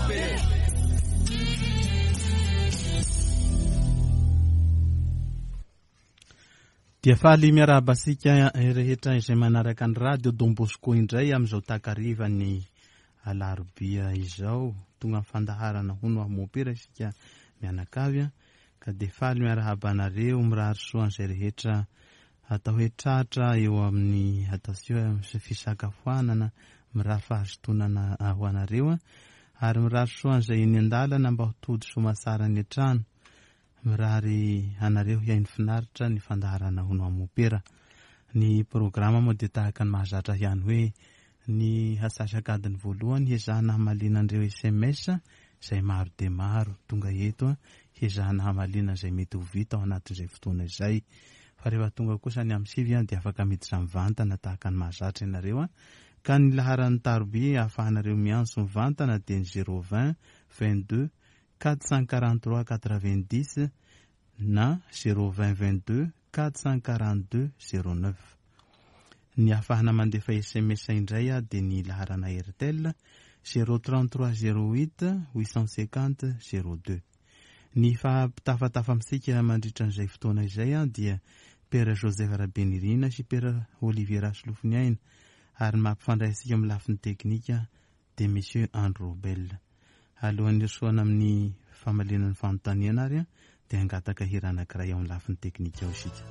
Mopera. Dia faly miarahaba antsika rehetra izay manaraka ny radio Don Bosco indray amin'izao takarivan'ny alarobia izao. Tonga amin'ny fandaharana hono aho mopera isika mianakavy ka dia faly miarahaba anareo mirary soa an'izay rehetra atao hoe tratra eo amin'ny ataontsika hoe fisakafoanana mirary fahazotonana ho anareo ary mirary soa an'izay eny an-dalana mba ho tody soamatsara any an-trano. Mirary anareo hihaino finaritra ny fandaharana Hono Aho Mopera. Ny programa moa dia tahaka ny mahazatra ihany hoe ny hatsasak'adiny voalohany hezahana hamaliana an'ireo sms izay maro dia maro tonga eto, hezahana hamaliana izay mety ho vita ao anatin'izay fotoana izay. Fa rehefa tonga kosa ny amin'ny 9 dia afaka miditra mivantana tahaka ny mahazatra ianareo. Ka ny laharan'ny taroby ahafahanareo miantso mivantana dia ny 020 22 443 90 na 020 22 442 09. Ny ahafahana mandefa sms indray dia ny laharana Airtel 033 08 850 02. Ny fampitafatafa amintsika mandritra an'izay fotoana izay dia Père Joseph Rabenirina sy Père Olivier Rasolofoniaina ary ny mampifandray antsika amin'ny lafiny teknika dia Monsieur Andry Robel. Alohan'ny hirosoana amin'ny famaliana ny fanontaniana ary dia hangataka hira anankiray ao amin'ny lafiny teknika ao isika.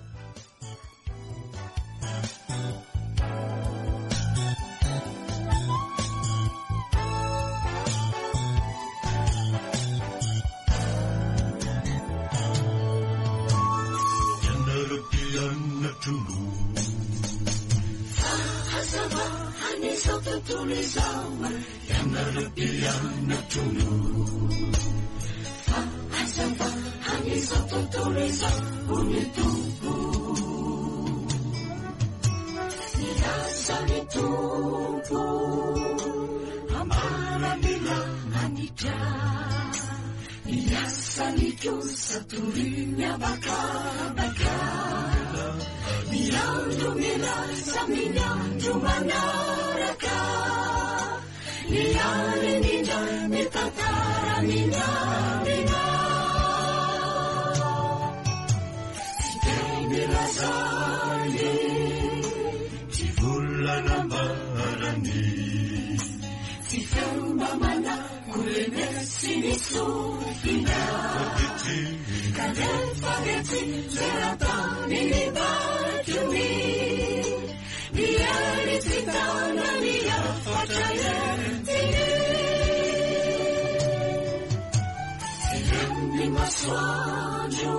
Ianareo mpianatro no Fahazavan'izao tontolo izao ho ny Tompo. Nilaza ny Tompo ambara mila anitra ny asany kosa toriny abakabaka. Ny andro milaza amin'ny andro manaraka. Ny alina ny tantara minamina. Tsy teny lazany, tsy volana ambarany. Tsy feo mba manakorenesy ny sofina. Kanefa dia tsy zera-tany ny bakiny. Ny hery tsy tana ny hafatra entiny. Tsy ren'ny masoandro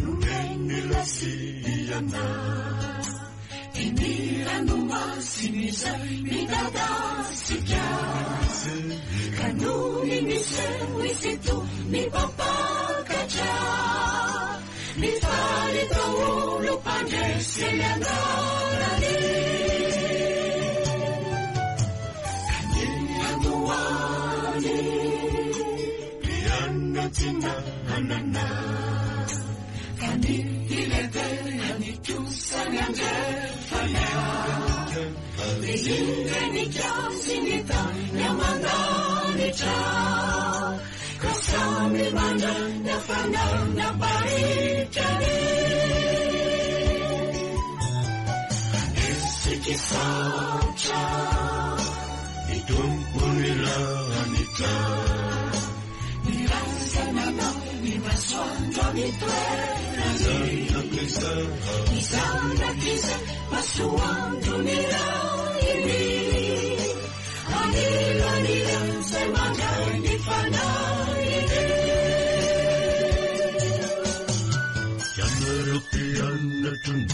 nomeny lasiana. Ny ranomasina izay midadasika. Ka nony miseho izy ito mipampakatra. Mifaly daholo mpandresy ny anarany. Ka ny androany mpianatsina anana. Ka ny ilehibe kosa ny andrefana. Ny indrenika sy ny tany aman-danitra. Ka samy mandray ny hafanana ampahitrany. Anesika sarotra ny Tompo ny lanitra. Ny razanana ny masoandro amin'ny toerany. Ny zanak'iza masoandro ny rainy. Anilanila izay mandray ny fanahiny. Ianareo mpianatro no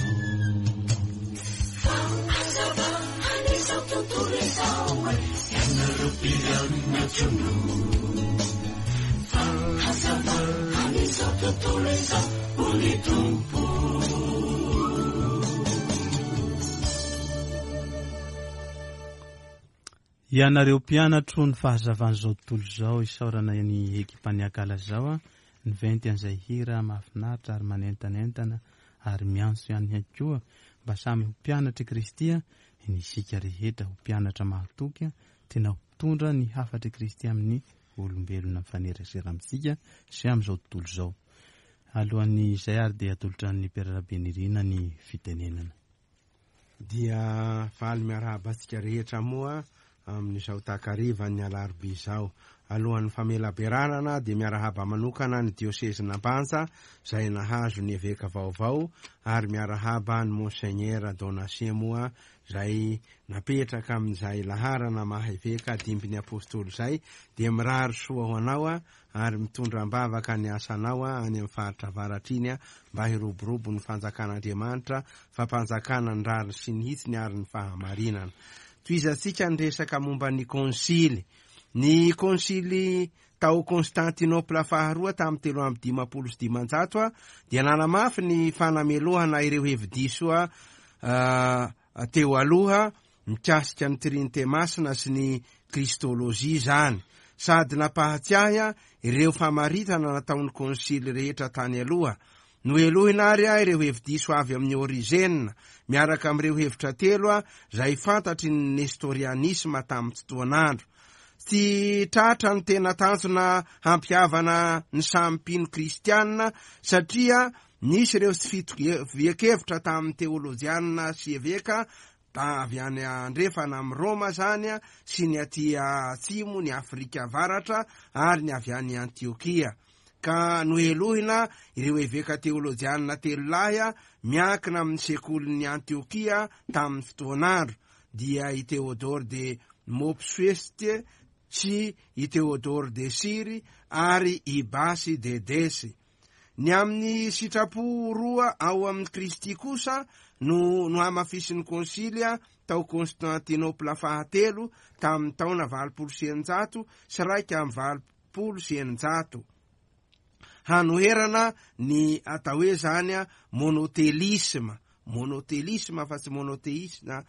Fahazavan'izao tontolo izao. Ianareo mpianatro no Fahazavan'izao tontolo izao ho ny Tompo. Ianareo mpianatro ny fahazavan'izao tontolo izao, isaorana ny ekipan'ny Akalazao ny venty an'izay hira mahafinaritra ary manentanentana ary miantso ihany ihany koa mba samy ho mpianatr'i Kristy ny isika rehetra, ho mpianatra mahatoky, tena mpitondra ny hafatr'i Kristy amin'ny olombelona mifanerasera amintsika sy amin'izao tontolo izao. Alohan'izay ary dia atolotra an'ny Père Rabenirina ny fitenenana. Dia faly miarahaba antsika rehetra moa amin'izao takarivan'ny alarobia izao. Alohan'ny famelabelarana dia miarahaba manokana ny diosezin'Ambanja izay nahazo ny eveka vaovao ary miarahaba ny Monseigneur Donatien moa izay napetraka amin'izay laharana maha eveka dimbin'ny apostoly izay dia mirary soa ho anao ary mitondra am-bavaka ny asanao any amin'ny faritra avaratra iny mba hiroborobo ny fanjakan'Andriamanitra, fampanjakana ny rariny sy ny hitsiny ary ny fahamarinana. Tohizantsika ny resaka momba ny konsily. Ny konsily tao Constantinople faharoa tamin'ny 553 dia nanamafy ny fanamelohana ireo hevi-diso teo aloha mikasika ny Trinite Masina sy ny Kristolojia izany, sady nampahatsiahy ireo famaritana nataon'ny konsily rehetra tany aloha. Nohelohina àry ireo hevi-diso avy amin'i Ôrizena, miaraka amin'ireo hevitra telo izay fantatry ny Nestorianisma tamin'ny fotoan'andro. Tsy tratra ny tena tanjona hampihavana ny samy mpino kristiana, satria nisy ireo tsy fitovian-kevitra tamin'ny teolojiana sy eveka avy any andrefana amin'i Roma izany sy ny aty atsimo, ny Afrika Avaratra ary ny avy any Antiokia. Ka nohelohina ireo eveka teolojianina telo lahy miankina amin'ny sekolin'i Antiokia tamin'ny fotoan'andro, dia i Théodore de Mopsueste sy i Théodore de Syrie ary i Basy de Dèce. Ny amin'ny sitrapo roa ao amin'i Kristy kosa no nohamafisin'ny Konsily tao Constantinople fahatelo tamin'ny taona 681. Hanoherana ny atao hoe izany monotelisma, monotelisma fa tsy monoteisma,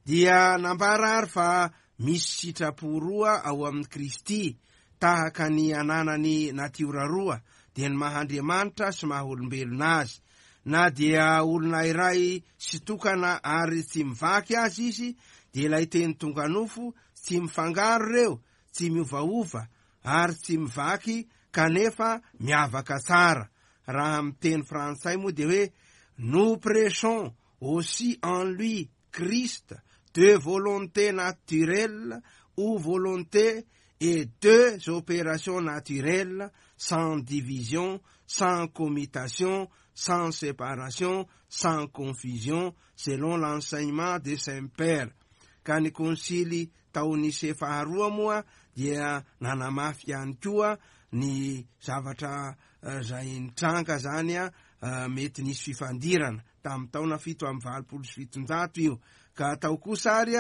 dia nambara ary fa misy sitrapo roa ao amin'i Kristy, tahaka ny ananany natiora roa, dia ny maha Andriamanitra sy maha olombelona azy. Na dia olona iray sy tokana ary tsy mivaky aza izy, dia ilay Teny tonga nofo, tsy mifangaro ireo, tsy miovaova, ary tsy mivaky kanefa miavaka tsara. Raha amin'ny teny frantsay moa dia hoe, Nous prêchons aussi en lui, Christ, deux volontés naturelles ou volontés et deux opérations naturelles sans division, sans commutation, sans séparation, sans confusion, selon l'enseignement de Saint Père. Ka ny konsily tao Nicée faharoa moa dia nanamafy ihany koa ny zavatra izay nitranga zany mety nisy fifandirana tamin'ny taona 787 io, ka tao kosa ary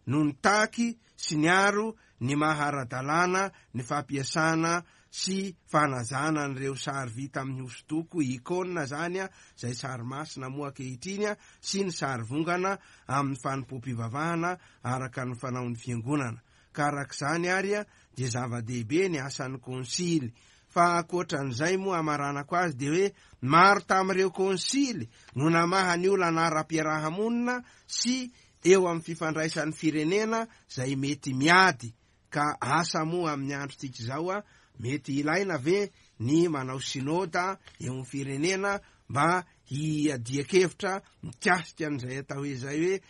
no nitaky sy niaro ny maha ara-dalàna ny fampiasana sy fanajana an'ireo sary vita amin'ny hosodoko, icône izany, izay sary masina moa ankehitriny, sy ny sary vongana amin'ny fanompoam-pivavahana araka ny fanaon'ny Fiangonana. Ka araka izany ary dia zava-dehibe ny asan'ny konsily. Fa ankoatran'izay moa hamaranako azy dia hoe maro tamin'ireo konsily no namaha ny olana ara-piaraha-monina sy eo amin'ny fifandraisan'ny firenena izay mety miady ka asa moa amin'ny androntsika izao mety ilaina ve ny manao synoda eo amin'ny firenena mba hiadian-kevitra mikasika an'izay atao hoe izay hoe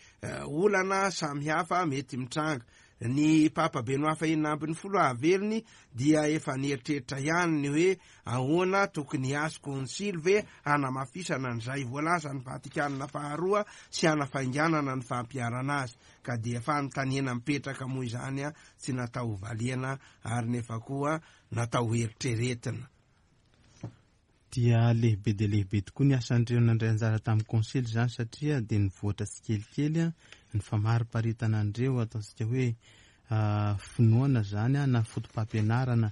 olana samihafa mety mitranga. Ny Papa Benoît fahenina ambin'ny folo hahavelony dia efa nieritreritra ihany ny hoe ahoana tokony hiasy konsily ve hanamafisana an'izay voalazan'ny Vatikana faharoa sy hanafainganana ny fampiharana azy. Ka dia fanontaniana mipetraka moa izany tsy natao hovaliana ary nefa koa natao hoeritreretina. Dia lehibe dia lehibe tokoa ny asan'ireo nandray anjara tamin'ny konsily izany satria dia nivoatra tsikelikely ny famariparitana an'ireo ataontsika hoe finoana izany na fotopampianarana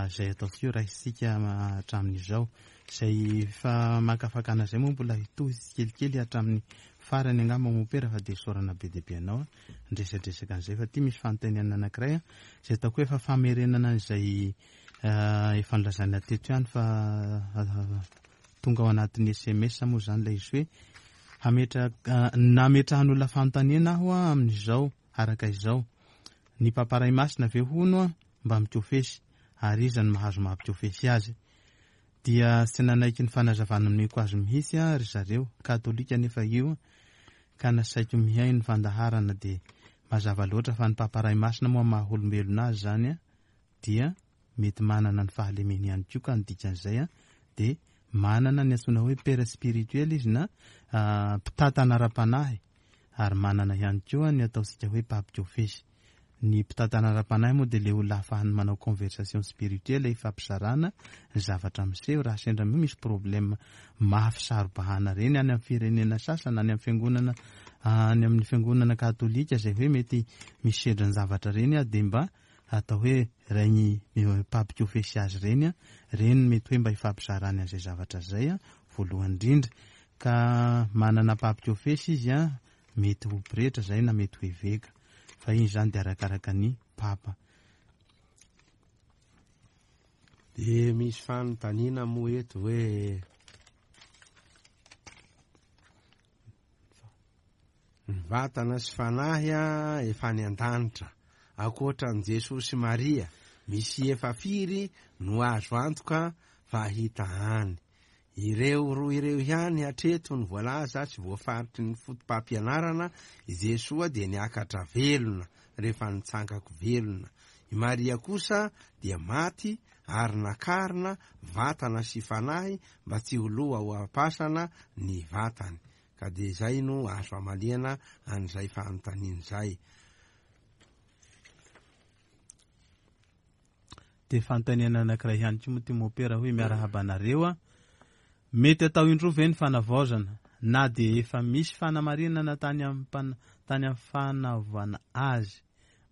izay ataontsika hoe raisintsika hatramin'izao. Izay famakafakana izay moa mbola hitohy tsikelikely hatramin'ny farany angamba mompera fa dia isaorana be dia be anao niresadresaka an'izay fa ity misy fanontaniana anankiray izay ataoko hoe efa famerenana an'izay Efa nolazaina teto ihany fa tonga ao anatin'ny sms moa izany ilay izy hoe hametraka nametrahan'olona fanontaniana aho amin'izao araka izao. Ny Papa Ray Masina ve hono a mba mikofesy ary iza no mahazo mampikofesy azy? Dia tsy nanaiky ny fanazavana nomeko azy mihitsy a ry zareo, katolika nefa io, ka nasaiko mihaino ny fandaharana dia mazava loatra fa ny Papa Ray Masina moa maha olombelona azy zany a dia mety manana ny fahalemeny ihany koa ka ny dikan'izay a dia manana ny antsoina hoe père spirituel izy na mpitantana ara-panahy ary manana ihany koa ny ataontsika hoe mpampikofesy. Ny mpitantana ara-panahy moa dia le olona ahafahany manao conversation spirituelle ifampizarana ny zavatra miseho raha sendra misy problème mafy saro-bahana reny any amin'ny firenena sasany, any amin'ny fiangonana, any amin'ny fiangonana katolika izay hoe mety misy sedra ny zavatra reny dia mba atao hoe regny mpampikofesy azy reny, reny mety hoe mba ifampizarany an'izay zavatra zay voalohany indrindra. Ka manana mpampikofesy izy a, mety ho pretra zay na mety ho eveka, fa iny zany dia arakaraka ny papa. De misy fanontaniana moa eto hoe ny vatana sy fanahy a efa any an-danitra, ankoatra an'i Jesoa sy Maria, misy efa firy no azo antoka fa hita any. Ireo roa ireo ihany hatreto no voalaza sy voafaritry ny foto-pampianarana. I Jesoa dia niakatra velona rehefa nitsangako velona. I Maria kosa dia maty ary nakarina vatana sy fanahy mba tsy ho loha ho am-pasana ny vatany. Ka dia izay no azo amaliana an'izay fanontaniana izay. Dia fanontaniana anankiray ihany koa moa ty mopera hoe miarahaba anareo a. Mety atao indroa ve ny fanavaozana na dia efa misy fanamarinana tany tany amin'ny fanaovana azy?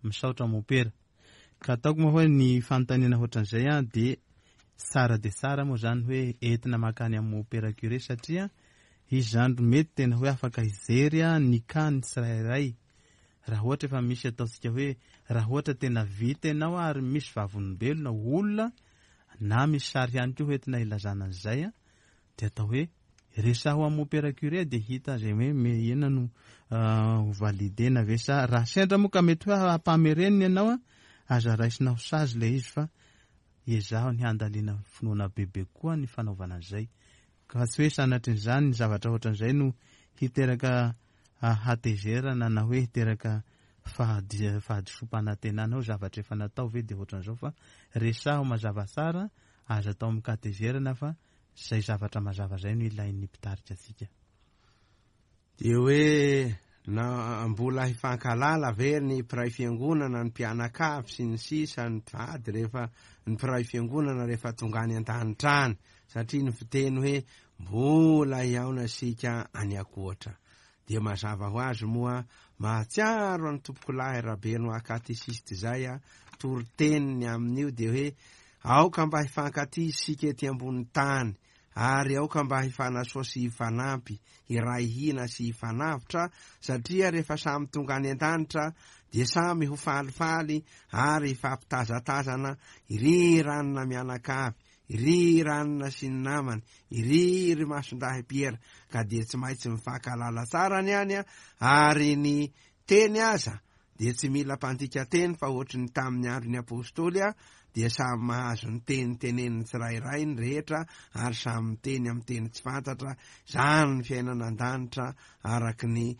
Misaotra mopera. Ka ataoko moa hoe ny fanontaniana ohatran'izay a dia tsara dia tsara moa zany hoe entina mankany amin'ny mopera curé satria izy zany mety tena hoe afaka hijery a ny cas ny tsirairay. Raha ohatra efa misy ataontsika hoe raha ohatra tena vita ianao ary misy vavolombelona olona na misy sary ihany koa hoentina ilazana an'izay a, dia atao hoe resaho amin'ny mopera curé dia hita izay hoe me inona no ho validena ve sa raha sendra moa ka mety hoe hampamerenina ianao a, aza raisina ho sazy ilay izy fa ezaho ny handalina finoana bebe koa ny fanaovana an'izay. Ka tsy hoe sanatrin'izany ny zavatra ohatran'izay no hiteraka hatezerana na hoe hiteraka fahadisoam-panantenana hoe zavatra efa natao ve dia ohatran'izao fa resaho mazava tsara, aza atao amin-katezerana fa izay zavatra mazava izay no ilain'ny mpitarika antsika. Dia hoe na mbola hifankahalala ve ny mpiray fiangonana, ny mpianakavy sy ny sisa, ny mpivady rehefa ny mpiray fiangonana rehefa tonga any an-danitra any, satria ny fiteny hoe mbola hihaona isika any ankoatra. Dia mazava ho azy moa mahatsiaro an'i Tompokolahy Rabenoa katesista izay a, toriteniny amin'io dia hoe aoka mba hifankatia isika ety ambony tany, ary aoka mba hifanasoa sy hifanampy, hiray hina sy hifanavotra, satria rehefa samy tonga any an-danitra dia samy ho falifaly ary hifampitazatazana, iry ranona mianakavy, iry ranona sy ny namany, iry ry Masindahy Piera, ka dia tsy maintsy mifankahalala tsara ny any, ary ny teny aza dia tsy mila mpandika teny fa ohatry ny tamin'ny andron'ny apôstôly dia samy mahazo ny teny tenenin'ny tsirairay ny rehetra ary samy miteny amin'ny teny tsy fantatra. Izany ny fiainana an-danitra araka ny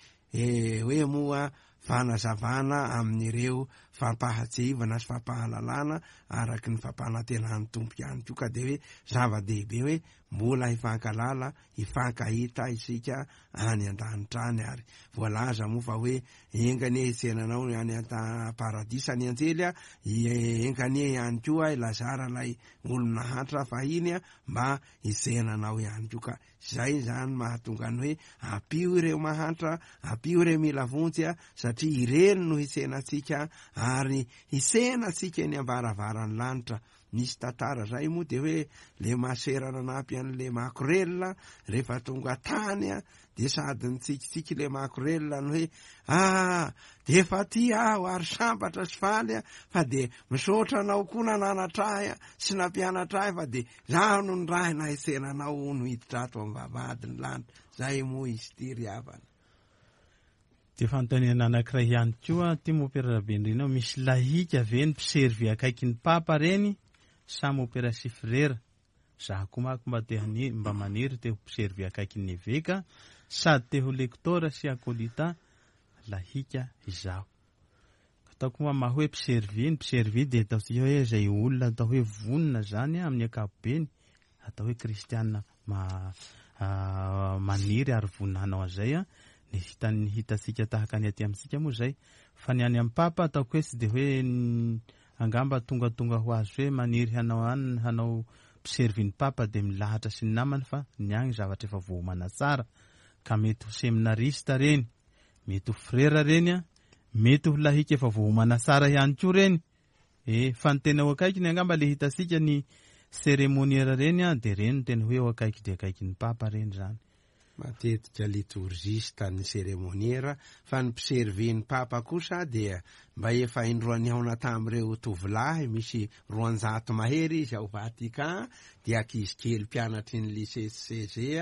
hoe moa fanazavana amin'ireo fampahatsiahivana sy fampahalalana araka ny fampanantenan'ny Tompo ihany koa, ka dia hoe zava-dehibe hoe mbola hifankalala, hifankahita isika any an-danitra any, ary voalaza moa fa hoe enga anie hitsenanao any an-paradisa ny anjely a, enga anie ihany koa i Lazara ilay olo-nahantra fahiny a, mba hitsenanao ihany koa, ka izay izany mahatonga ny hoe ampio ireo mahantra, ampio ireo mila vonjy a, satria ireny no hitsenantsika ary hitsenantsika eny am-baravaran'ny lanitra. Nisy tantara zay moa de hoe le masera nanampy an'le makorelina rehefa tonga tany a, de sady nitsikitsiky le makorelina ny hoe ah, de efa aty aho ary sambatra sy faly a, fa de misaotra anao koa nananatra ahy a, sy nampianatra ahy, fa de zaho no nirahina hitsena anao hono hiditra ato am-bavahadin'ny lanitra. Zay moa izy ity ry havana. Dia fanontaniana anankiray ihany koa ty mopera Rabendrina, misy lahika ve ny mpiservy akaiky ny papa reny sa mopera sy frera? Za koa manko mba te hani- mba maniry te ho mpiservy akaiky ny eveka sady te ho lektora sy akolita lahika izaho. Ataoko moa maha hoe mpiservy, ny mpiservy dia ataontsika hoe izay olona atao hoe vonona zany amin'ny ankapobeny, atao hoe kristiana ma maniry ary vonona hanao an'izay a. Ny hitan'ny hitantsika tahaka ny aty amintsika moa izay. Fa ny any amin'ny papa ataoko hoe tsy dia hoe angamba tongatonga ho azy hoe maniry hanao any hanao mpiservy ny papa dia milahatra sy ny namany, fa ny agny zavatra efa voaomana tsara ka mety ho seminarista reny, mety ho frera reny a, mety ho lahika efa voaomana tsara ihany koa reny. E, fa ny tena ho akaikiny angamba le hitantsika ny cérémoniaire reny a, dia reny no tena hoe eo akaiky dia akaiky ny papa reny zany. Matetika litorgista ny cérémoniaire, fa ny mpiservy ny papa kosa dia mba efa indroa nihaona tamin'ireo tovolahy, misy 200 mahery izy ao Vatican, dia ankizy kely mpianatry ny lycée CG,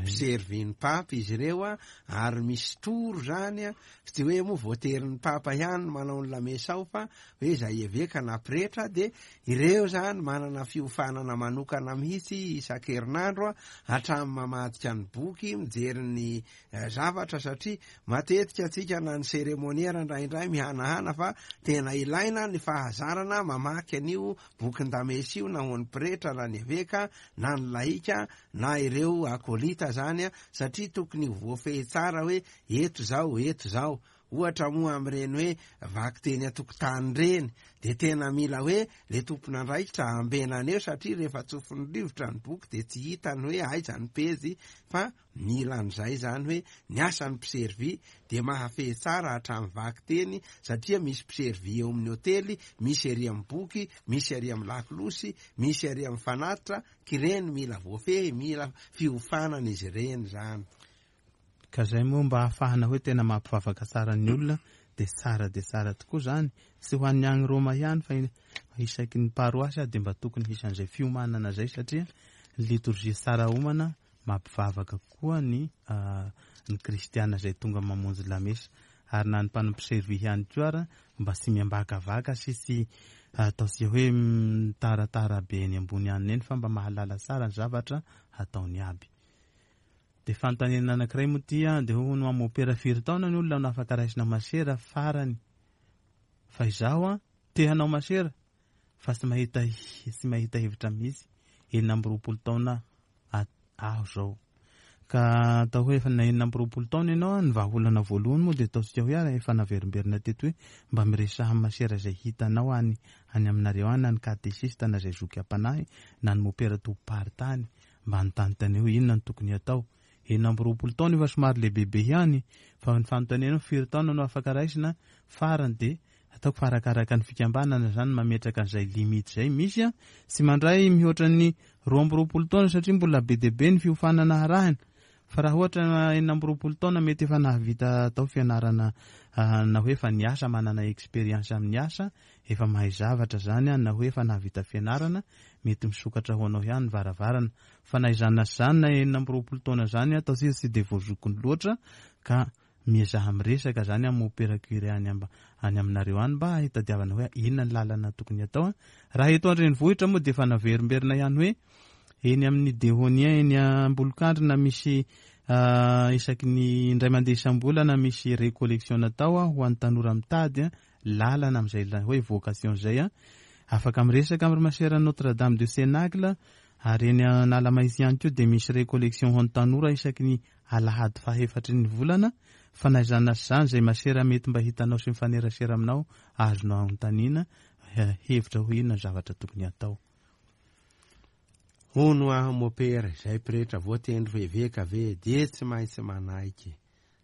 mpiservy ny papa izy ireo, ary misy toro zany, tsy hoe moa voaterin'ny papa ihany manao ny lamesa ao, fa hoe izay eveka na pretra, dia ireo zany manana fiofanana manokana mihitsy isan-kerinandro hatramin'ny mamadika ny boky, mijery ny zavatra, satria matetika antsika na ny cérémoniaire indraindray mihanahana fa tena ilaina ny fahazarana mamaky an'io bokin-damesa io, na ho an'ny pretra na ny eveka na ny laika na ireo akolita zany, satria tokony ho voafehy tsara hoe eto zao, eto zao. Ohatra moa amin'ireny hoe vakiteny an-tokotany ireny, dia tena mila hoe le tompon'andraikitra ambenana eo, satria rehefa tsofin'ny rivotra ny boky dia tsy hitany hoe aiza ny pejy, fa mila an'izay zany hoe ny asan'ny mpiservy dia mahafehy tsara hatramin'ny vakiteny, satria misy mpiservy eo amin'ny hotely, misy ery amin'ny boky, misy ery amin'ny lakolosy, misy ery amin'ny fanatitra, k'ireny mila voafehy, mila fiofanana izy ireny zany. Ka zay moa mba ahafahana hoe tena mampivavaka tsara ny olona dia tsara dia tsara tokoa zany, tsy ho an'ny agny Roma ihany fa isaky ny paroasy dia mba tokony hisy an'izay fiomanana zay, satria ny litorjia tsara omana mampivavaka koa ny ny kristiana izay tonga mamonjy lamesa, ary na ny mpanompo servi ihany koa ara mba tsy miambakavaka sy tsy ataontsika hoe mitaratara be eny ambony any eny, fa mba mahalala tsara ny zavatra hataony aby. Dia fanontaniana anankiray moa ity an, dia hono amin'ny opera firy taona ny olona no afaka raisina masera farany? Fa izaho an, te hanao masera fa tsy mahita tsy mahita hevitra mihitsy, 26 taona aho zao. Ka atao hoe efa na 26 taona ianao an, ny vahaolana voalohany moa dia ataontsika hoe ary efa naverimberina teto hoe mba miresaha amin'ny masera izay hitanao any any aminareo any, na ny katesista na izay zoky am-panahy na ny mopera tompom-paritany, mba anontany hoe inona no tokony hatao. 26 taona efa somary lehibebe ihany, fa ny fanontaniana hoe firy taona no afaka raisina farany dia ataoko fa arakaraka ny fikambanana izany mametraka an'izay limite izay. Misy an, tsy mandray mihoatra ny 22 taona satria mbola be dia be ny fiofanana harahina. Fa raha ohatra 26 taona mety efa nahavita atao fianarana na hoe efa niasa, manana expérience amin'ny asa, efa mahay zavatra izany na hoe efa nahavita fianarana, mety misokatra ho anao ihany ny varavarana. Fa na izany na izany na 26 taona izany ataontsika tsy dia voazokiny loatra ka miezaha miresaka izany amin'ny mopera curé any any aminareo any mba hitadiavana hoe inona ny lalana tokony hatao. Raha eto an-drenivohitra moa dia efa naverimberina ihany hoe eny amin'ny Dehonien eny Ambolokandrina misy isaky ny indray mandeha isam-bolana misy récollection natao ho an'ny tanora mitady lalana amin'izay hoe vocation izay. Afaka miresaka amin'ny masera Notre Dame de Cénacle ary eny Analamahitsy ihany koa dia misy récollection ho an'ny tanora isaky ny alahady fahefatry ny volana. Fa na izany na tsy izany, izay masera mety mba hitanao sy mifanerasera aminao, azonao anontaniana hevitra hoe inona ny zavatra tokony hatao. Hono aho mopera, izay pretra voatendry ho eveka ve dia tsy maintsy manaiky?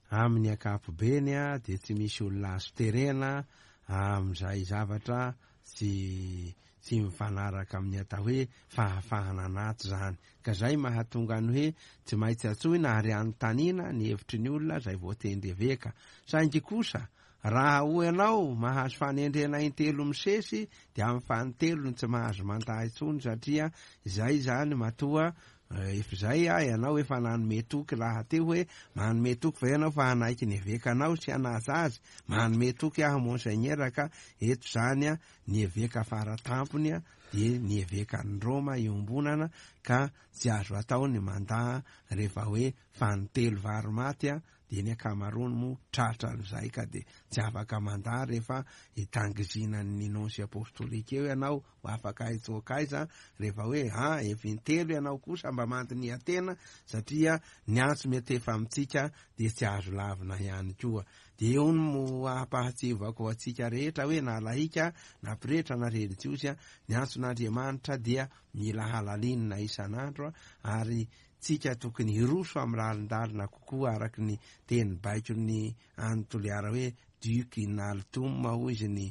Amin'ny ankapobeny dia tsy misy olona azo terena amin'izay zavatra tsy tsy mifanaraka amin'ny atao hoe fahafahana anaty izany. Ka izay mahatonga ny hoe tsy maintsy antsoina ary anontaniana ny hevitry ny olona izay voatendry eveka. Saingy kosa raha hoy ianao mahazo fanendrena intelo misesy dia amin'ny fanintelony tsy mahazo mandà intsony satria izay izany matoa Efa izay a, ianao efa nanome toky rahateo hoe manome toky va ianao fa hanaiky ny evekanao sy hanaja azy? Manome toky aho monseigneur ka eto izany a, ny eveka faratampony a dia ny evekan'i Roma iombonana ka tsy azo atao ny mandà rehefa hoe fanintelo vary maty a, dia ny ankamaroany moa tratran'izay ka dia tsy afaka mandà rehefa hitangizinan'ny nonce apostolique eo ianao. Ho afaka hitsoaka aiza rehefa hoe a efa intelo ianao kosa mba mandiniha tena satria ny antso mety efa amintsika dia tsy azo lavina ihany koa. Dia eo no ampahatsiahivako antsika rehetra hoe na lahika na pretra na relijiozy, ny antson'Andriamanitra dia mila halalinina isan'andro ary tsika tokony hiroso amin'ny lalindalina kokoa araka ny teny baikon'ny any Toliara hoe duc in altum hoy izy ny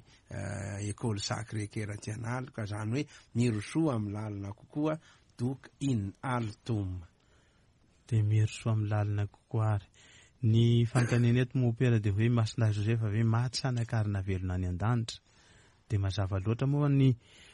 école Sacré Cœur Antsianaloka, izany hoe mirosoa amin'ny lalina kokoa, duc in altum. Dia mirosoa amin'ny lalina kokoa ary. Ny fanontaniana eto mompera dia hoe Masina Josefa ve maty sa nakarina velona any an-danitra? Dia mazava loatra moa ny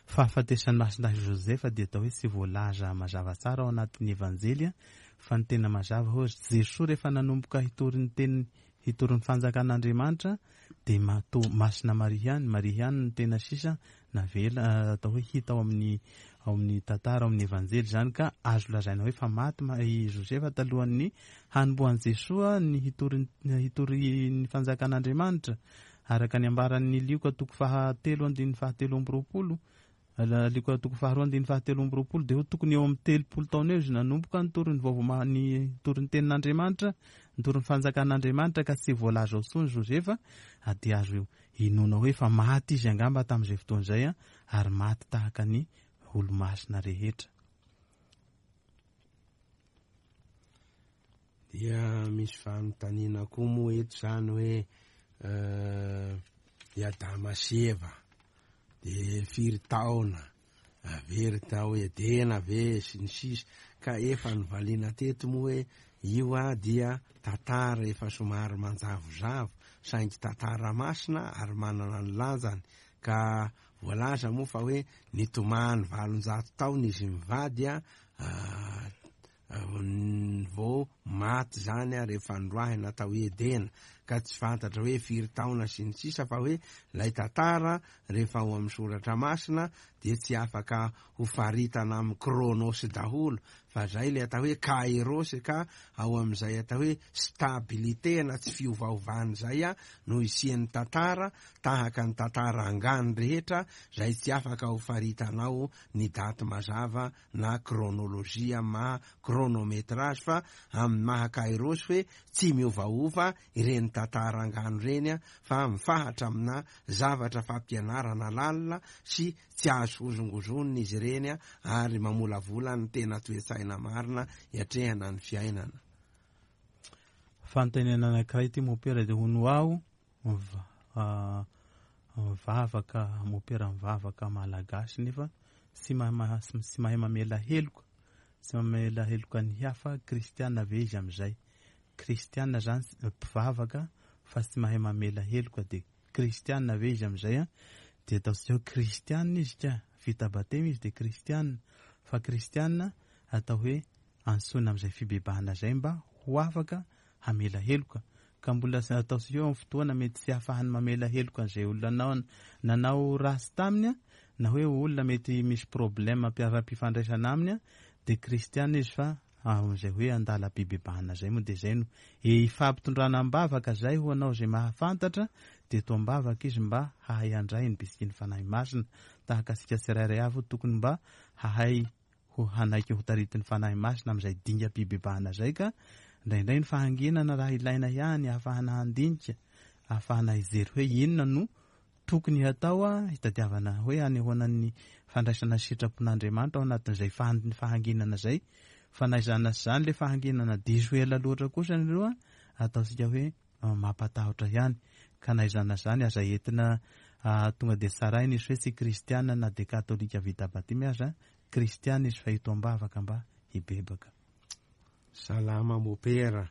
fahafatesan'i Masina Josefa dia atao hoe tsy voalaza mazava tsara ao anatin'ny Evanjely fa ny tena mazava hoe Jesoa rehefa nanomboka hitory ny teniny hitory ny fanjakan'Andriamanitra dia mato Masina Maria ihany, Maria ihany no tena sisa navela atao hoe hita ao amin'ny ao amin'ny tantara ao amin'ny Evanjely izany ka azo lazaina hoe fa maty i Josefa talohan'ny hanombohan'i Jesoa ny hitory hitory ny fanjakan'Andriamanitra araka ny ambaran'ny Lioka toko fahatelo andininy fahatelo amby roapolo, Lioka toko faharoa andininy fahatelo amby roapolo dia ho tokony eo amin'ny telopolo taona eo izy nanomboka nitory ny vaovao ma-, ny nitory ny tenin'Andriamanitra, nitory ny fanjakan'Andriamanitra ka tsy voalaza ao intsony Josefa, ary dia azo inoana hoe efa maty izy angamba tamin'izay fotoana izay ary maty tahaka ny olomasina rehetra. Dia misy fanontaniana koa moa eto izany hoe i Adama sy Eva dia firy taona very tao Edena ve sy ny sisa, ka efa novaliana teto moa hoe io dia tantara efa somary manjavozavo saingy tantara masina ary manana ny lanjany, ka voalaza moa fa hoe nitomany 800 taona izy mivady vao maty zany rehefa noroahina tao Edena, ka tsy fantatra hoe firy taona sy ny sisa, fa hoe ilay tantara rehefa ao amin'ny soratra masina dia tsy afaka ho faritana amin'ny chronos daholo, fa zay ilay atao hoe kairos, ka ao amin'izay atao hoe stabilité na tsy fiovaovana izay no isian'ny tantara, tahaka ny tantara angano rehetra izay tsy afaka ho faritanao ny daty mazava na chronologie maha chronométrage, fa amin'ny maha kairos hoe tsy miovaova ireny tantara angano ireny fa mifahatra amina zavatra fampianarana lalina sy tsy azo hozongozonina izy ireny ary mamolavola ny tena toe-tsaina marina hiatrehana ny fiainana. Fanontaniana anankiray ity mompera dia hono aho mivavaka, mompera mivavaka malagasy nefa tsy mahay mamela heloka, tsy mamela heloka ny hafa, kristiana ve izy amin'izay? Kristiana zany mpivavaka fa tsy mahay mamela heloka dia kristiana ve izy amin'izay? Dia ataontsika hoe kristiana izy ka, vita batemy izy dia kristiana, fa kristiana atao hoe antsoina amin'izay fibebahana izay mba ho afaka hamela heloka, ka mbola ataontsika hoe amin'ny fotoana mety tsy hahafahany mamela heloka an'izay olona nanao ratsy taminy, na hoe olona mety misy problème ara-pifandraisana aminy, dia kristiana izy fa amin'izay hoe andalam-pibebahana izay moa dia izay no ifampitondrana am-bavaka izay ho anao izay mahafantatra, dia to am-bavaka izy mba hahay handray ny bisikin'ny Fanahy Masina, tahaka antsika tsirairay avy tokony mba hahay ho hanaiky ho taritin'ny Fanahy Masina amin'izay dingam-pibebahana izay, ka indraindray ny fahanginana raha ilaina ihany ahafahana handinika, ahafahana hijery hoe inona no tokony hatao hitadiavana hoe hanehoana ny fandraisana sitrapon'Andriamanitra ao anatin'izay fahanginana izay, fa na izany na tsy izany ilay fahanginana diso ela loatra kosa aloha ataontsika hoe mampatahotra ihany, ka na izany na izany aza entina tonga dia tsaraina izy hoe tsy kristiana na dia katolika vita batemy aza, kristiana izy fa eto am-bavaka mba hibebaka. Salama mopera,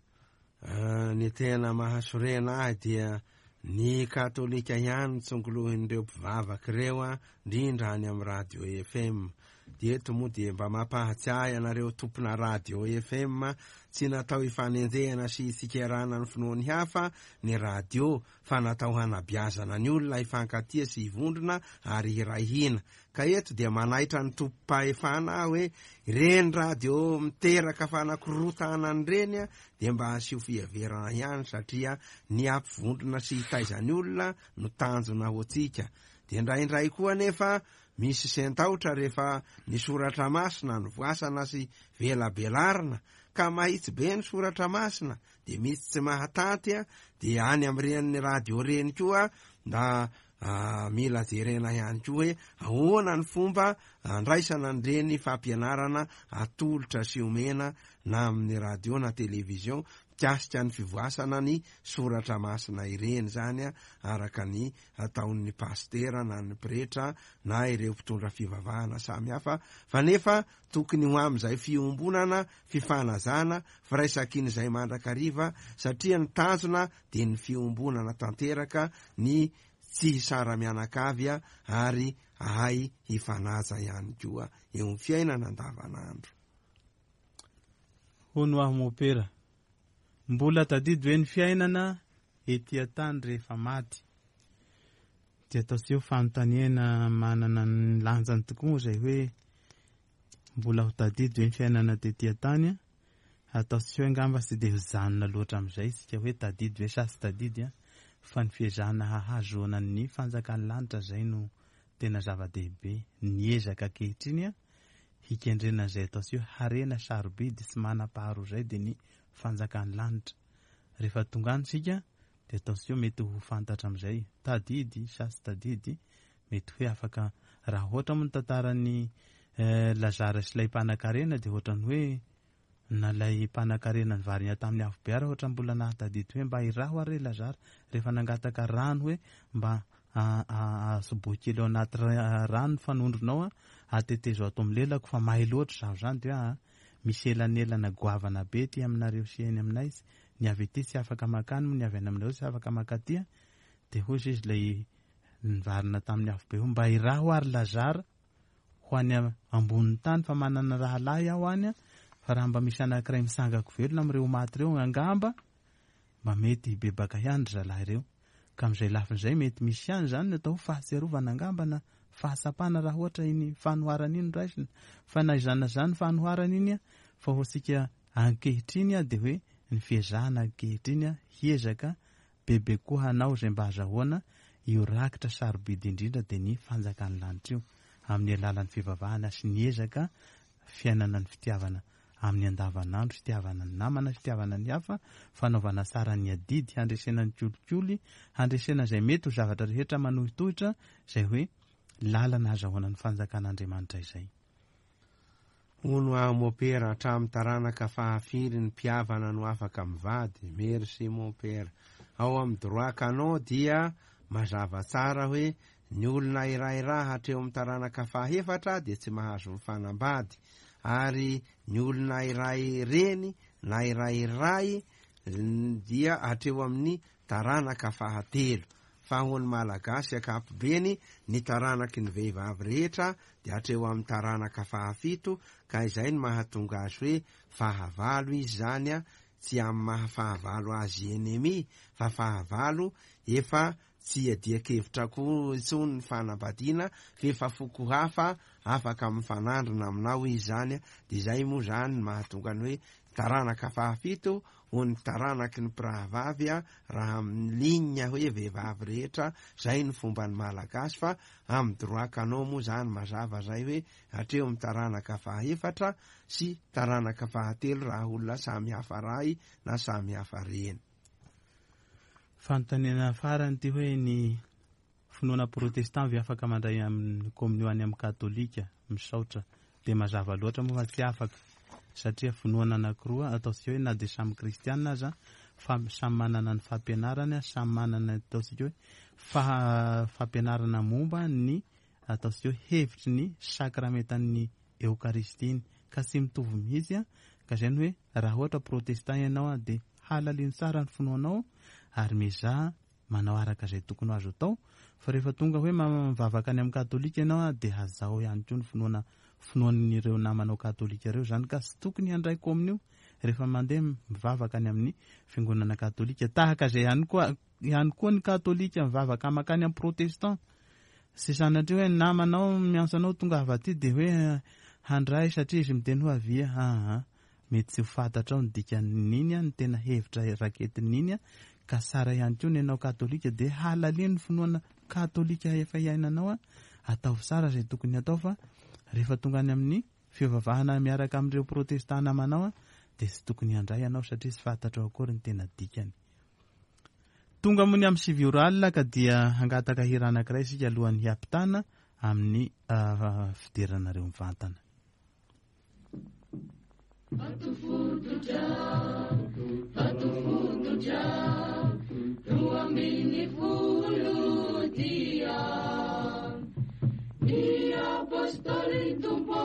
ny tena mahasorena ahy dia ny katolika ihany tsongolohin'ireo mpivavaka ireo, indrindra any amin'ny radio FM. Dia eto moa dia mba mampahatsiahy anareo tompona radio FM, tsy natao hifanenjehana sy hitsikerana ny finoan'ny hafa ny radio fa natao hanabeazana ny olona hifankatia sy hivondrona ary hiray hina. Ka eto dia manaitra ny tompom-pahefana aho hoe ireny radio miteraka fanakorontanana ireny dia mba asio fiheverana ihany satria ny hampivondrona sy hitaiza ny olona no tanjona ho antsika. Dia indraindray koa anefa misy sentaotra rehefa ny soratra masina no voasana sy velabelarina ka mahitsy be ny soratra masina dia misy tsy mahatanty dia any amin'ireny radio ireny koa mba mila jerena ihany koa hoe ahoana ny fomba andraisana an'ireny fampianarana atolotra sy omena na amin'ny radio na television mikasika ny fivoasana ny soratra masina ireny zany araka ny ataon'ny pastera na ny pretra na ireo mpitondra fivavahana samihafa fa nefa tokony ho amin'izay fiombonana, fifanazana, firaisakin'izay mandrakariva satria ny tanjona dia ny fiombonana tanteraka, ny tsy hisara-mianakavy ary ahay hifanaja ihany koa eo amin'ny fiainana andavanandro. Hono aho mopera, mbola tadidy ve ny fiainana ety an-tany rehefa maty? Dia ataontsika ho fanontaniana manana ny lanjany tokoa moa izay hoe mbola ho tadidy ve ny fiainana tety an-tany? Ataontsika hoe angamba tsy dia hijanona loatra amin'izay isika hoe tadidy ve sa tsy tadidy, fa ny fiezahana hahazoana ny fanjakan'ny lanitra izay no tena zava-dehibe. Ny ezaka ankehitriny hikendrena izay ataontsika hoe harena sarobidy tsy manam-paharoa izay dia ny fanjakan'ny lanitra. Rehefa tonga any isika dia ataontsika hoe mety ho fantatra amin'izay tadidy sa tsy tadidy, mety hoe afaka raha ohatra moa ny tantaran'ny Lazara sy ilay mpanan-karena dia ohatran'ny hoe na ilay mpanan-karena nivarina tamin'ny afobe ary ohatra mbola nahatadidy hoe mba iraho ary Lazara rehefa nangataka rano hoe mba asobohy kely ao anaty rano ny fanondronao atetezo ato amin'ny lelako fa may loatra izaho izany dia hoe misy elanelana goavana be aty aminareo sy eny aminay, ny avy aty tsy afaka makany moa ny avy any aminareo tsy afaka makaty dia hoy izy ilay nivarina tamin'ny afobe hoe mba iraho ary Lazara ho any ambonin'ny tany fa manana rahalahy aho any fa raha mba misy anankiray misangako velona amin'ireo maty ireo angamba mba mety hibebaka ihany ry zalahy ireo. Ka amin'izay lafiny izay mety misy ihany izany ny atao hoe fahatsiarovana angamba na fahatsapana raha ohatra iny fanoharana iny no raisina. Fa na izany na izany fanoharana iny fa ho antsika ankehitriny dia hoe ny fiezahana ankehitriny hiezaka bebe koa hanao izay mba hazahoana io rakitra sarobidy indrindra dia ny fanjakan'ny lanitra io amin'ny alalan'ny fivavahana sy ny ezaka fiainana ny fitiavana amin'ny andavanandro, fitiavana ny namana, fitiavana ny hafa, fanaovana tsara ny adidy, handresena ny kolikoly, handresena izay mety ho zavatra rehetra manohitohitra, izay hoe lalana hazahoana ny fanjakan'Andriamanitra izay. Hono aho mopera, hatramin'ny taranaka fahafiry ny mpihavana no afaka mivady? Merci mon père. Ao amin'ny droit canon dia mazava tsara hoe ny olona iray ra hatreo amin'ny taranaka fahefatra dia tsy mahazo mifanambady ary ny olona iray reny na iray ray dia hatreo amin'ny taranaka fahatelo. Fa ho an'ny Malagasy ankapobeny, ny taranaky ny vehivavy rehetra dia hatreo amin'ny taranaka fahafito, ka izay no mahatonga azy hoe fahavalo izy izany, tsy amin'ny maha fahavalo azy ennemi, fa fahavalo efa tsy iadian-kevitra koa intsony ny fanambadiana, f'efa foko hafa afaka mifanandrina aminao izy izany, dia izay moa izany no mahatonga ny hoe taranaka fahafito ho ny taranaky ny mpirahavavy raha amin'ny ligne hoe vehivavy rehetra, zay ny fomban'ny Malagasy fa amin'ny droit canon moa zany mazava zay hoe hatreo amin'ny taranaka fahaefatra sy taranaka fahatelo raha olona samy hafa ray na samy hafa reny. Fanontaniana farany ity hoe ny finoana protestant ve afaka mandray amin'ny kominio any amin'ny katolika? Misaotra. Dia mazava loatra moa fa tsy afaka satria finoana anankiroa ataontsika hoe na dia samy kristiana aza fa samy manana ny fampianarany, samy manana ataontsika hoe fampianarana momba ny ataontsika hoe hevitry ny sakramentan'ny Eokaristia iny ka tsy mitovy mihitsy ka izay no hoe raha ohatra protestant ianao dia halalino tsara ny finoanao ary miezaha manao araka izay tokony ho azo atao fa rehefa tonga hoe mivavaka any amin'ny katolika ianao dia hazao ihany koa ny finoana finoan'ireo namanao katolika ireo izany ka tsy tokony handray kominio rehefa mandeha mivavaka any amin'ny fiangonana katolika. Tahaka izay ihany koa ihany koa ny katolika mivavaka makany amin'ny protestant. Tsy sanatria hoe ny namanao miantso anao tonga avy aty dia hoe handray satria izy miteny hoe avia. Aa mety tsy ho fantatrao ny dikan'iny, ny tena hevitra raketin'iny, ka tsara ihany koa ny anao katolika dia halalino ny finoana katolika efa iainanao, ataovy tsara izay tokony hatao fa rehefa tonga any amin'ny fivavahana miaraka amin'ireo protestant namanao dia tsy tokony handray ianao satria tsy fantatrao akory ny tena dikany. Tonga moa ny amin'ny 9 ora alina ka dia hangataka hira anankiray isika alohan'ny hiampitana amin'ny fideranareo mivantana. Vato fototra, vato fototra, 12 dia ny apôstôly Tompo.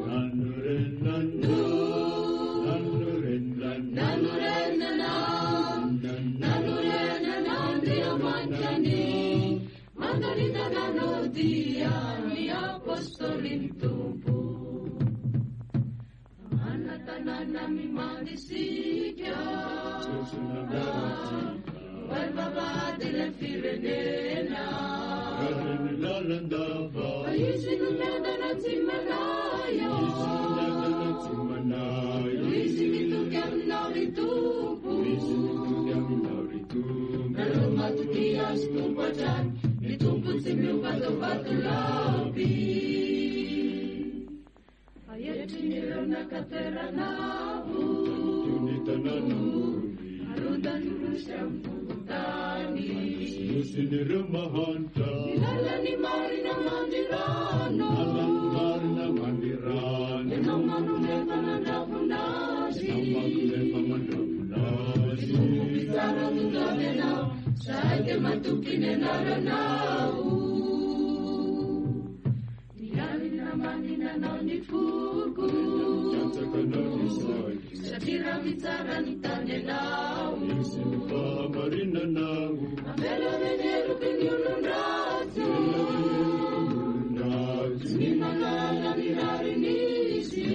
Nanorenana, nanorenana Andriamanitra ny mandalinana dia ny apôstôly Tompo. Mana-tanàna mimandisika, vavahady ilay firenena. Fa izy no miadana tsy manahy, izy mitoky aminao ry Tompo. Nareo matoky azy Tompo hatrany, ny Tompo tsy miova tao vatolampy. Aetrin'ireo naka toerana avo, arodany nosy amin'ny fokontany. Ny lalan'ny marina mandirano, ianao manome fa mandravona azy. Ny Tompo mpitsara tonga avy anao, zahay dia matoky ny anaranao. Ny alina manina anao ny foko, satria raha mitsara ny tany ianao. Avela ny heloky ny olon-dratsy, tsy manala ny rariny izy.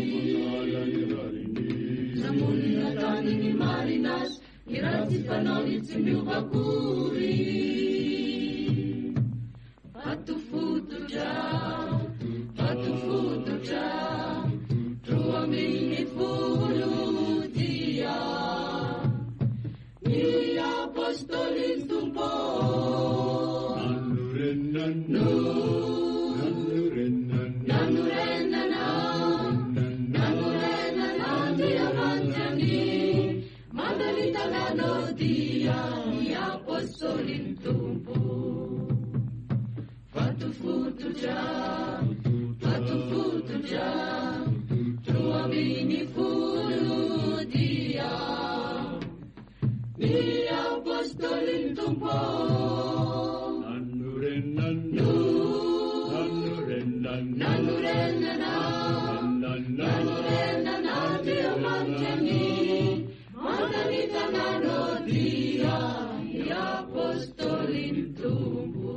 Namonina tany ny marina azy, ny ratsy fanaony tsy miova akory. Vato fototra, vato fototra, 12 dia ny apôstôly Tompo. Nanorenana, nanorenana Andriamanitra ny mandalitananao dia ny apôstôly Tompo. Vato fototra, vato fototra, 12 dia ny apôstôly Tompo. Nanorenana, nanorenana Andriamanitra ny mandalitananao dia ny apôstôly Tompo.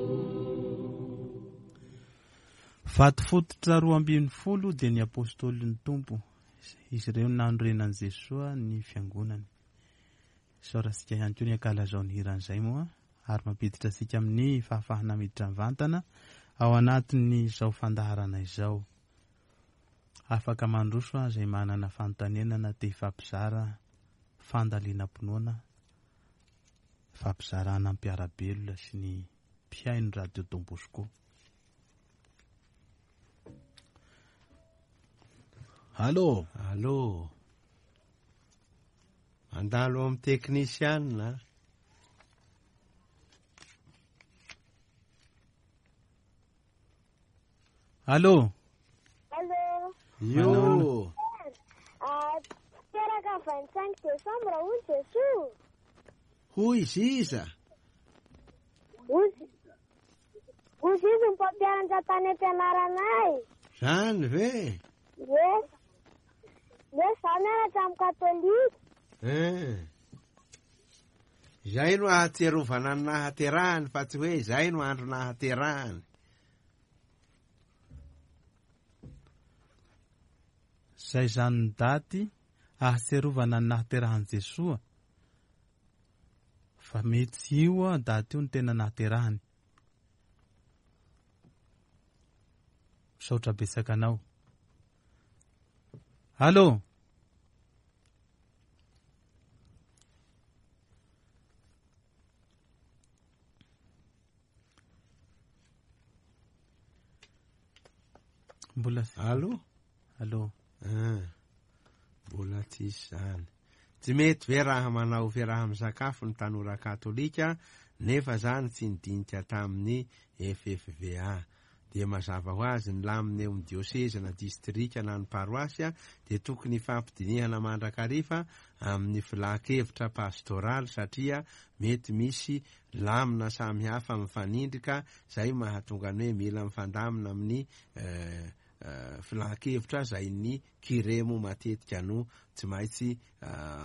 Vato fototra 12 dia ny apôstôlin'ny Tompo. Izy ireo nanorenan'i Jesoa ny fiangonany. Isaorantsika ihany koa ny ankalazao ny hiran'izay moa ary mampiditra antsika amin'ny fahafahana miditra mivantana ao anatin'izao fandaharana izao. Afaka mandroso izay manana fanontaniana na te hifampizara fandalinam-pinoana, fampizarana mpiara-belona sy ny mpihaino Radio Don Bosco. Allô? Allô? Mandalo amin'ny teknisianina. Allô? Allô? Io. Teraka 25 décembre hoy Jesoa. Hoy izy iza? Hoy izy ny mpampianatra tany am-pianaranay. Zany ve? Ie. Ie, za mianatra amin'ny katolika. Izay no ahatsiarovana ny nahaterahany fa tsy hoe izay no andro nahaterahany. Zay izany ny daty ahatsiarovana ny nahaterahan'i Jesoa fa mety tsy io daty io no tena nahaterahany. Misaotra betsaka anao. Allô? Mbola Allô? Allô? Ah, mbola tsisy zany. Tsy mety ve raha manao fiaraha-misakafo ny tanora katolika nefa zany tsy nidinika tamin'ny FFVA. Dia mazava ho azy ny lamina eo amin'ny diosezy na distrika na ny paroasy dia tokony hifampidinihana mandrakariva amin'ny filan-kevitra pastoraly satria mety misy lamina samihafa mifanindrika izay mahatonga ny hoe mila mifandamina amin'ny filan-kevitra izay ny kiremo matetika no tsy maintsy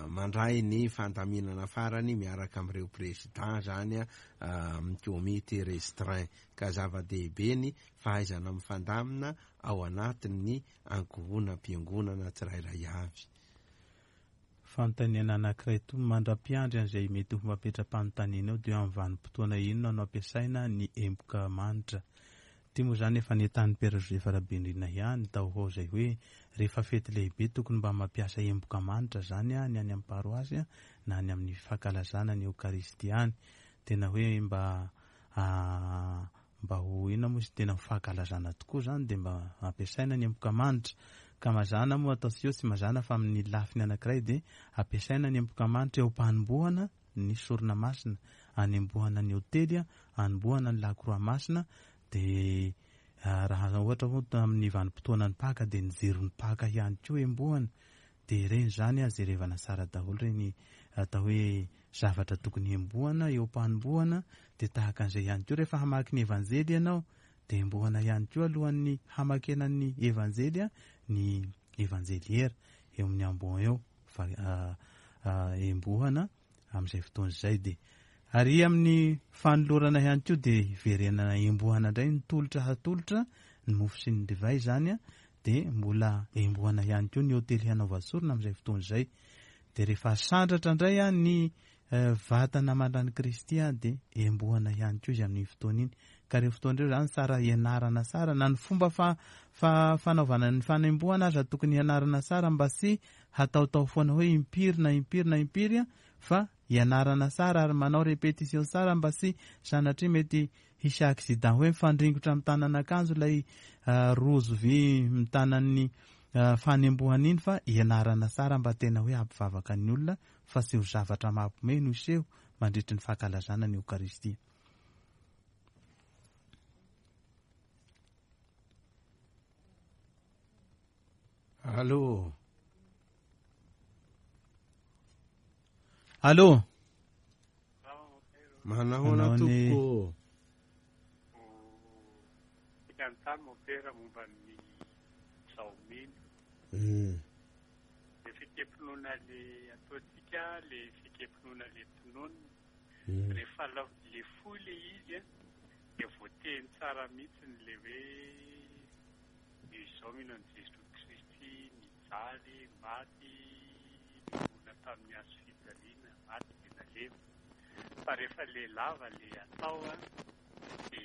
mandray ny fandaminana farany miaraka amin'ireo président zany amin'ny comité restreint ka zava-dehibe ny fahaizana mifandamina ao anatin'ny ankohonam-piangonana tsirairay avy. Fanontaniana anankiray toa mandra-piandry an'izay mety ho mapetra-panontaniana eo dia amin'ny vanim-potoana inona no ampiasaina ny emboka manitra? Ity moa izany efa nentanin'i Père Joseph Rabenirina ihany tao ho ao izay hoe rehefa fety lehibe tokony mba mampiasa emboka manitra izany ny any amin'ny paroasy na any amin'ny fankalazana ny Eokaristia any. Tena hoe mba mba ho inona moa izy tena ho fankalazana tokoa izany dia mba ampiasaina ny emboka manitra. Ka mazàna moa ataontsika hoe tsy mazàna fa amin'ny lafiny anankiray dia ampiasaina ny emboka manitra eo am-panombohana ny sorona masina, anembohana ny ôtely, anombohana ny lakroa masina dia raha ohatra moa tamin'ny vanim-potoanan'ny Paka dia ny jiron'ny Paka ihany koa embohana dia ireny izany jerevana tsara daholo ireny atao hoe zavatra tokony hembohana eo am-panombohana dia tahaka an'izay ihany koa rehefa hamaky ny Evanjely ianao dia embohana ihany koa alohan'ny hamakena ny Evanjely ny Evanjeliera eo amin'ny ambon eo fa embohana amin'izay fotoana izay dia ary amin'ny fanolorana ihany koa dia hiverenana embohana indray ny tolotra hatolotra ny mofo sy ny divay izany dia mbola embohana ihany koa ny hotely hanaovan-tsorona amin'izay fotoana izay dia rehefa asandratra indray ny vatana aman-dran'i Kristy dia embohana ihany koa izy amin'iny fotoana iny ka ireo fotoana ireo izany tsara hianarana tsara na ny fomba fa fa fanaovana ny fanembohana aza tokony hianarana tsara mba tsy hataotao foana hoe impiry na impiry na impiry fa hianarana tsara ary manao répétition tsara mba tsy sanatria mety hisy accident hoe mifandringotra amin'ny tanan'akanjo ilay rojo vy mitanan'ny fanembohana iny fa hianarana tsara mba tena hoe hampivavaka ny olona fa tsy ho zavatra mampiomehy no hiseho mandritry ny fankalazana ny Eokaristia. Allô? Allô? Manahoana tompoko? Fikantany mopera momba ny zaomino. Le fekempinoana le ataontsika, le fekempinoana le tononina. Rehefa le fohy le izy dia voateny tsara mihitsy le hoe izao mino an'i Jesoa Kristy nijaly, maty, nihona tamin'ny hazo fijaliana, maty dia nalevina. Fa rehefa le lava le atao dia tsy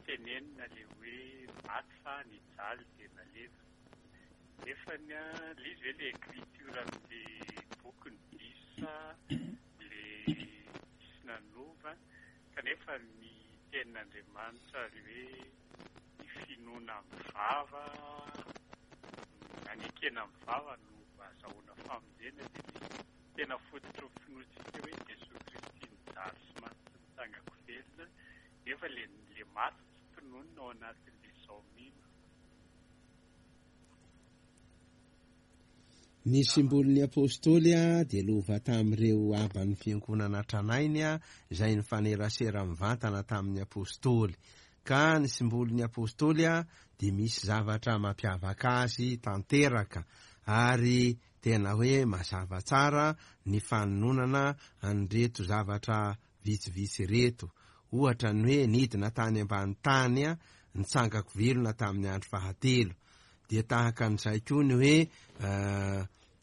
tenenina le hoe maty fa nijaly dia nalevina. Nefa ny le izy ve le écriture amin'le boky ny diso le diso nanova kanefa ny tenin'Andriamanitra le hoe ny finoana amin'ny vava nanekena amin'ny vava no azahoana famonjena dia ny tena fototry ny finoantsika hoe Jesoa Kristy nijaly sy maty sy nitsangako velona nefa le le maty tsy tononina ao anatin'le zao mino. Ny simbolin'ny Apostoly dia lova tamin'ireo aban'ny fiangonana tranainy izay nifanerasera mivantana tamin'ny Apostoly. Ka ny simbolin'ny Apostoly dia misy zavatra mampiavaka azy tanteraka ary tena hoe mazava tsara ny fanononana an'ireto zavatra vitsivitsy ireto. Ohatra ny hoe nidina tany ambany tany nitsangako velona tamin'ny andro fahatelo. Dia tahaka an'izay koa ny hoe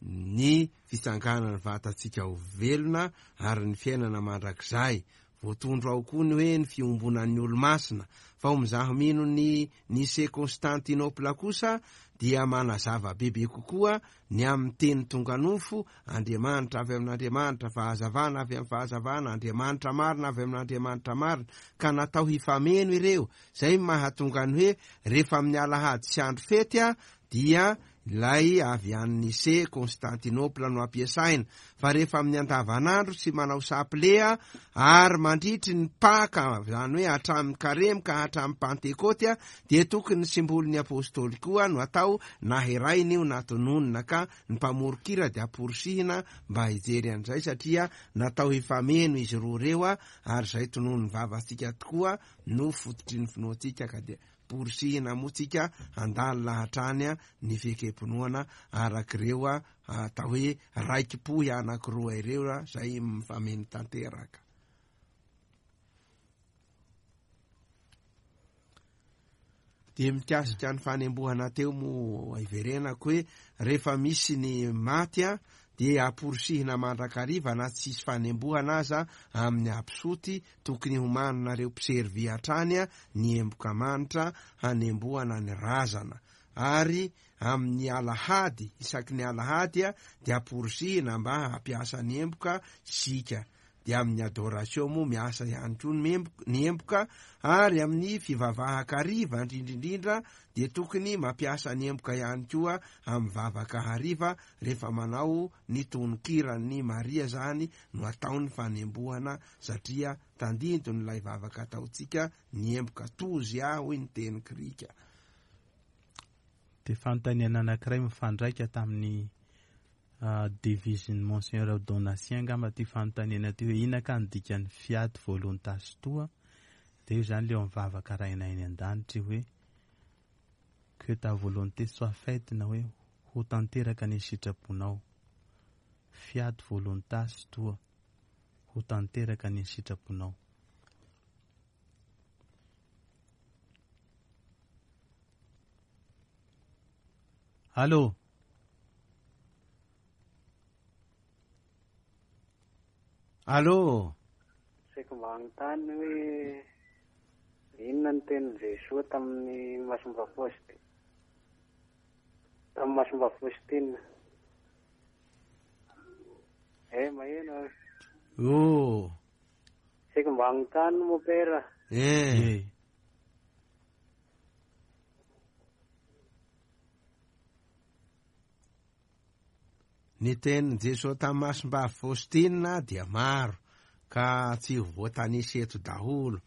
ny fitsanganan'ny vatantsika ho velona ary ny fiainana mandrakizay. Voatondro ao koa ny hoe ny fiombonan'ny olo-masina. Fa ho mizaha mino ny Nicée Constantinople kosa dia manazava bebe kokoa ny amin'ny teny tonga nofo, Andriamanitra avy amin'Andriamanitra, fahazavana avy amin'ny fahazavana, Andriamanitra marina avy amin'Andriamanitra marina, ka natao hifameno ireo. Izay no mahatonga ny hoe rehefa amin'ny alahady sy andro fety dia ilay avy any Nicée, Constantinople no ampiasaina, fa rehefa amin'ny andavanandro sy manao saple ary mandritry ny Paka, izany hoe hatramin'ny Karemy ka hatramin'ny Pantekoty, dia tokony ny simbolin'ny Apostoly koa no atao, na hiraina io na tononina, ka ny mpamoron-kira dia amporisihina mba hijery an'izay satria natao hifameno izy roa ireo ary izay tononin'ny vavantsika tokoa no fototry ny finoantsika ka dia Porisihina moa tsika handalina hatrany ny fiekem-pinoana arak'ireo atao hoe raiki-pohy anankiroa ireo izay mifameno tanteraka. Dia mikasika ny fanembohana teo moa iverenako hoe rehefa misy ny maty dia amporisihina mandrakariva na tsisy fanembohana aza amin'ny absoty Tokony homaninareo mpiservy hatrany ny emboka manitra hanembohana ny razana. Ary amin'ny alahady, isaky ny alahady dia amporisihina mba hampiasa ny emboka isika. Dia amin'ny adoration moa miasa ihany koa ny emboka, ary amin'ny fivavahan-kariva indrindra indrindra dia tokony mampiasa ny emboka ihany koa amin'ny vavaka hariva rehefa manao ny tononkiran'ny Maria izany no atao ny fanembohana satria tandindon'ilay vavaka ataontsika ny emboka tozy aho hoy ny teny grika. Dia fanontaniana anankiray mifandraika tamin'ny devise-n'ny Monseigneur Donatien angamba ity fanontaniana ity hoe inona ka ny dikan'ny fiat voluntas tua? Dia io izany ilay eo amin'ny vavaka Rainay any an-danitra io hoe que ta volonté soit faite na hoe ho tanteraka ny sitraponao. Fiat voluntas tua. Ho tanteraka ny sitraponao. Allô? Allô? Saiko mba hanontany hoe inona ny tenin'i Jesoa tamin'ny Masimba Tamin'ny Masimba Faustina. Eh, maheno ah. Oh. Saiko mba hanontany mon père. Eh. Ny tenin'i Jesoa tamin'i Masimbavy Faustina dia maro ka tsy ho voatanisa eto daholo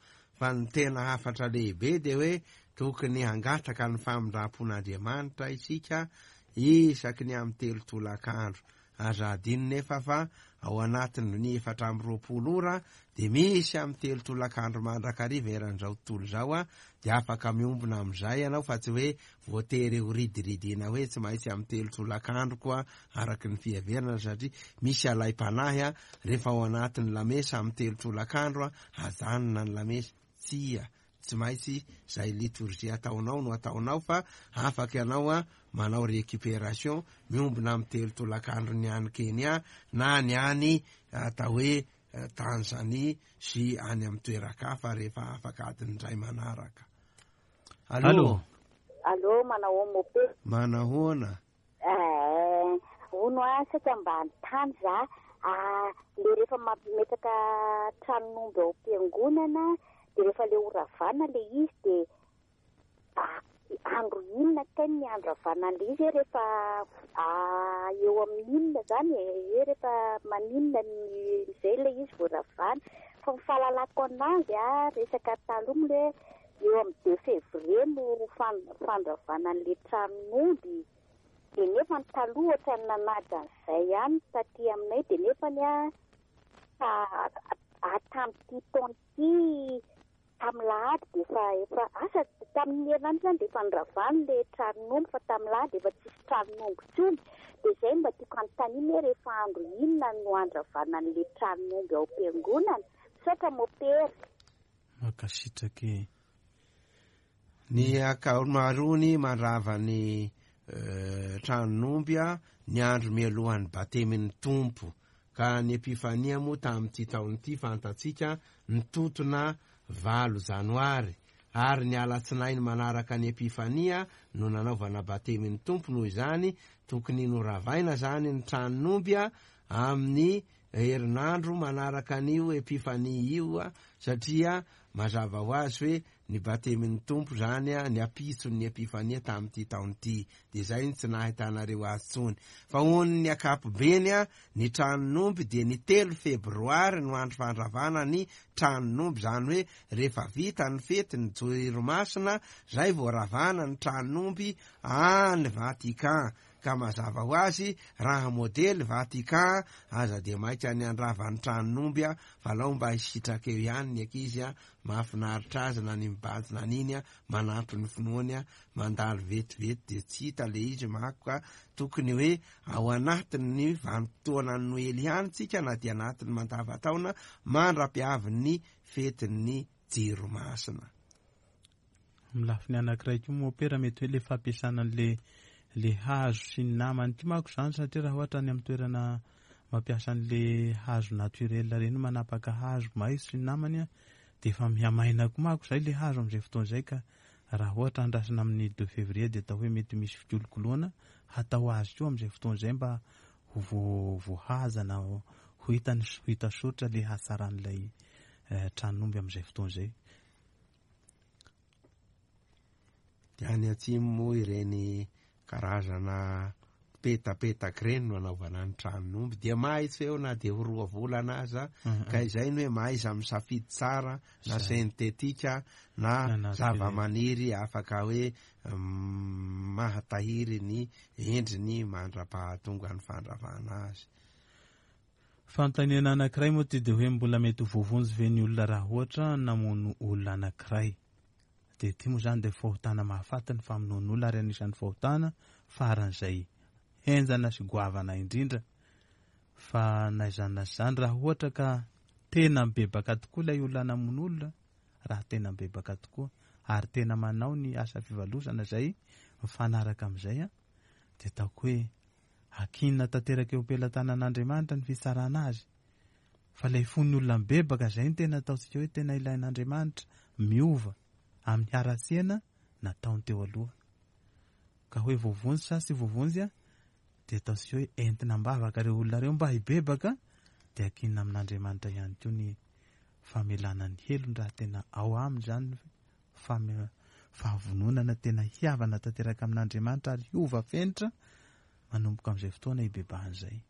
fa ny tena hafatra lehibe dia hoe tokony hangataka ny famindram-pon'Andriamanitra isika isaky ny amin'ny telo tolakandro. Aza adino nefa fa ao anatin'ny 24 ora dia misy amin'ny telo tolakandro mandrakariva eran'izao tontolo izao dia afaka miombona amin'izay ianao fa tsy hoe voatery ho ridiridiana hoe tsy maintsy amin'ny telo tolakandro koa araka ny fiheverana satria misy alaim-panahy rehefa ao anatin'ny lamesa amin'ny telo tolakandro ajanona ny lamesa. Tsia, tsy maintsy izay litorjia ataonao no ataonao fa afaka ianao manao récupération miombona amin'ny telo tolakandro ny any Kenya na ny any atao hoe Tanzanie sy any amin'ny toeran-kafa rehefa afaka adiny iray manaraka. Allô? Allô, manahoana Mope? Manahoana? Eh, hono ah, saika mba hanontany za, ah, le rehefa mametraka tranon'omby ao am-piangonana, de rehefa le horavana le izy de ah, andro inona kay ny andravana an'le izy hoe rehefa ah, eo amin'ny inona zany e, hoe rehefa maninona ny izay le izy vao ravana, fa ny fahalalako anazy ah, resaka taloha moa le hoe Eo amin'ny deux février no fandravana an'ilay tranon'omby dia nefany taloha ohatran'ny nanaja an'izay ihany ny taty aminay dia nefany a tamin'ity taona ity tamin'ny lahady dia efa efa asa tamin'ny herinandro izany dia efa noravana ilay tranon'omby fa tamin'ny lahady efa tsisy tranon'omby intsony dia izay no mba tiako hanontaniana hoe rehefa andro inona no andravana an'ilay tranon'omby ao am-piangonana? Misaotra mopera. Mankasitraka e. Ny ankamaroany mandrava ny tranon'omby ny andro mialohan'ny batemin'ny Tompo. Ka ny Epifania moa tamin'ity taona ity fantatsika nitotona 8 janoary, ary ny alatsinainy manaraka ny Epifania no nanaovana batemin'ny Tompo. Noho izany tokony noravaina zany ny tranon'omby amin'ny herinandro manaraka an'io Epifania io, satria mazava ho azy hoe ny batemin'ny Tompo zany ny ampitson'ny Epifania tamin'ity taona ity. Dia izay no tsy nahitanareo azy intsony. Fa ho an'ny ankapobeny, ny tranon'omby dia ny 3 febroary no andro fandravana ny tranon'omby, izany hoe rehefa vita ny fety ny Jiro Masina, zay vao ravana ny tranon'omby any Vatican. Ka mazava ho azy, raha modely Vatican, aza dia maika ny handrava ny tranon'omby, fa alao mba hisitraka eo ihany ny ankizy, mahafinaritra azy na ny mibanjina an'iny, manampy ny finoany, mandalo vetivety dia tsy hita le izy manko. Ka tokony hoe ao anatin'ny vanim-potoanan'ny Noely ihany tsika, na dia anatin'ny mandava-taona mandra-piavin'ny fetin'ny Jiro Masina. Amin'ny lafiny anankiray koa moa pera mety hoe le fampiasana an'le le hazo sy ny namany koa manko izany, satria raha ohatra any amin'ny toerana mampiasa an'le hazo naturel ireny, manapaka hazo maitso sy ny namany, dia efa mihamaina koa manko izay le hazo amin'izay fotoana izay. Ka raha ohatra andrasana amin'ny 2 février dia atao hoe mety misy fikolokoloana hatao azy koa amin'izay fotoana izay mba ho voahaza na ho hita ny ho hita soritra le hatsaran'ilay tranon'omby amin'izay fotoana izay. Dia any atsimo moa ireny karazana petapetaka ireny no anaovana ny tranon'omby, dia maitso eo na dia ho 2 volana aza. Ka izay no hoe mahaiza misafidy tsara, na sentetika na zava-maniry afaka hoe mahatahiry ny endriny mandra-pahatonga ny fandravana azy. Fanontaniana anankiray moa ity dia hoe mbola mety ho voavonjy ve ny olona raha ohatra namono olona anankiray? Dia ity moa izany dia fahotana mahafaty ny famonoan'olona, ary anisan'ny fahotana faran'izay henjana sy goavana indrindra. Fa na izany na izany, raha ohatra ka tena mibebaka tokoa ilay olona namono olona, raha tena mibebaka tokoa ary tena manao ny asa fivalozana izay mifanaraka amin'izay, dia ataoko hoe akinina tanteraka eo am-pelatanan'Andriamanitra ny fitsarana azy. Fa ilay fon'ny olona mibebaka izay no tena ataontsika hoe tena ilain'Andriamanitra, miova amin'ny haratsiana nataony teo aloha. Ka hoe voavonjy sa tsy voavonjy, dia ataontsika hoe entina am-bavaka ireo olona ireo mba hibebaka, dia akinina amin'Andriamanitra ihany koa ny famelana ny helony raha tena ao aminy izany fahavononana tena hihavana tanteraka amin'Andriamanitra ary hiova fenitra manomboka amin'izay fotoana hibebahana izay.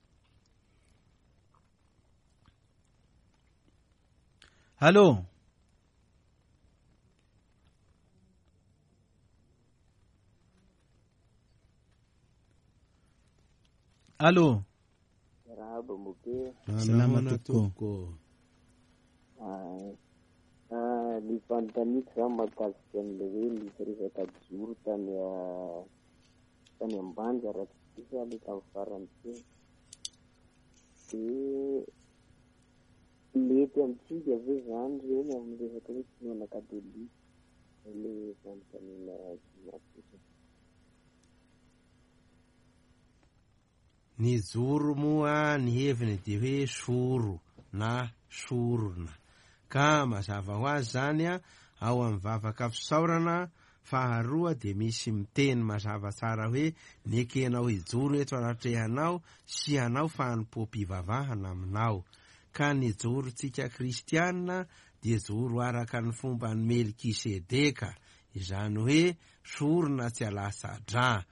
Allô? Allô? Miarahaba mope. Salama tompoko. Ny fanontaniako zany mahakasika an'ilay hoe nisy resaka joro tany Ambanja raha tsy diso aho ilay tamin'ny farany teo. Dia mety amintsika ve zany ireny amin'ny resaka hoe finoana katolika? Izay ilay fanontaniana napetraka. Ny joro moa ny heviny dia hoe soro na sorona. Ka mazava ho azy zany ao amin'ny vavaka fisaorana faharoa dia misy miteny mazava tsara hoe nekenao hijoro eto anatrehanao sy hanao fanompoam-pivavahana aminao. Ka ny jorontsika kristianina dia joro araka ny fomban'i Melkisedeka, izany hoe sorona tsy alatsa-drà.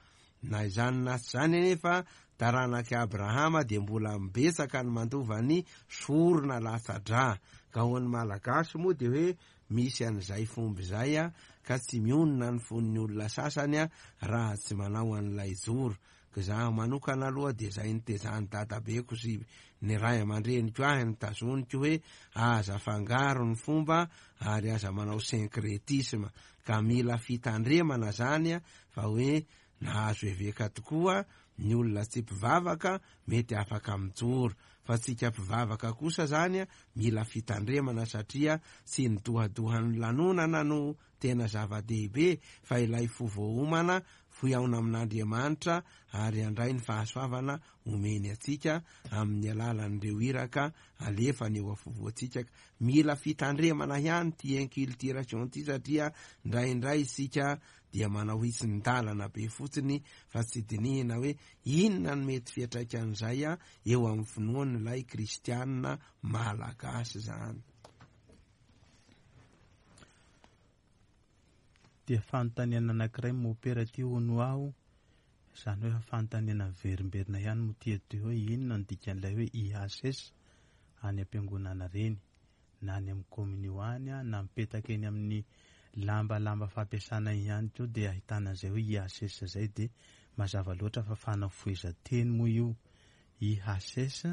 Na izany na tsy izany anefa, taranak'i Abrahama dia mbola mibetsaka ny mandova ny sorona latsa-drà. Ka ho an'ny Malagasy moa dia hoe misy an'izay fomba izay, ka tsy mionona ny fon'ny olona sasany raha tsy manao an'ilay joro. Ka izaho manokana aloha dia izay nitezan'ny dadabeko sy ny ray aman-dreniko ahy no tazoniko hoe aza afangaro ny fomba ary aza manao syncrétisme. Ka mila fitandremana zany fa hoe nahazo eveka tokoa Ny olona tsy mpivavaka mety afaka mijoro, fa tsika mpivavaka kosa zany mila fitandremana satria tsy ny dohadohan'ny lanonana no tena zava-dehibe fa ilay fo voaomana fihaona amin'Andriamanitra ary handray ny fahasoavana omeny antsika amin'ny alalan'ireo iraka alefany eo afovoantsika. Mila fitandremana ihany ity inculturation ity satria indraindray isika dia manao hitsin-dalana be fotsiny fa tsy dinihina hoe inona no mety fiantraikan'izay eo amin'ny finoan'ilay kristianina malagasy izany. Dia fanontaniana anankiray mopera ity hono aho, izany hoe fanontaniana miverimberina ihany moa ity eto hoe inona no dikan'ilay hoe IHS any am-piangonana ireny na any amin'ny kominio any na mipetaka eny amin'ny lamba lamba fampiasana ihany koa dia ahitana an'izay hoe IHS izay dia mazava loatra fa fanafohezan-teny moa io IHS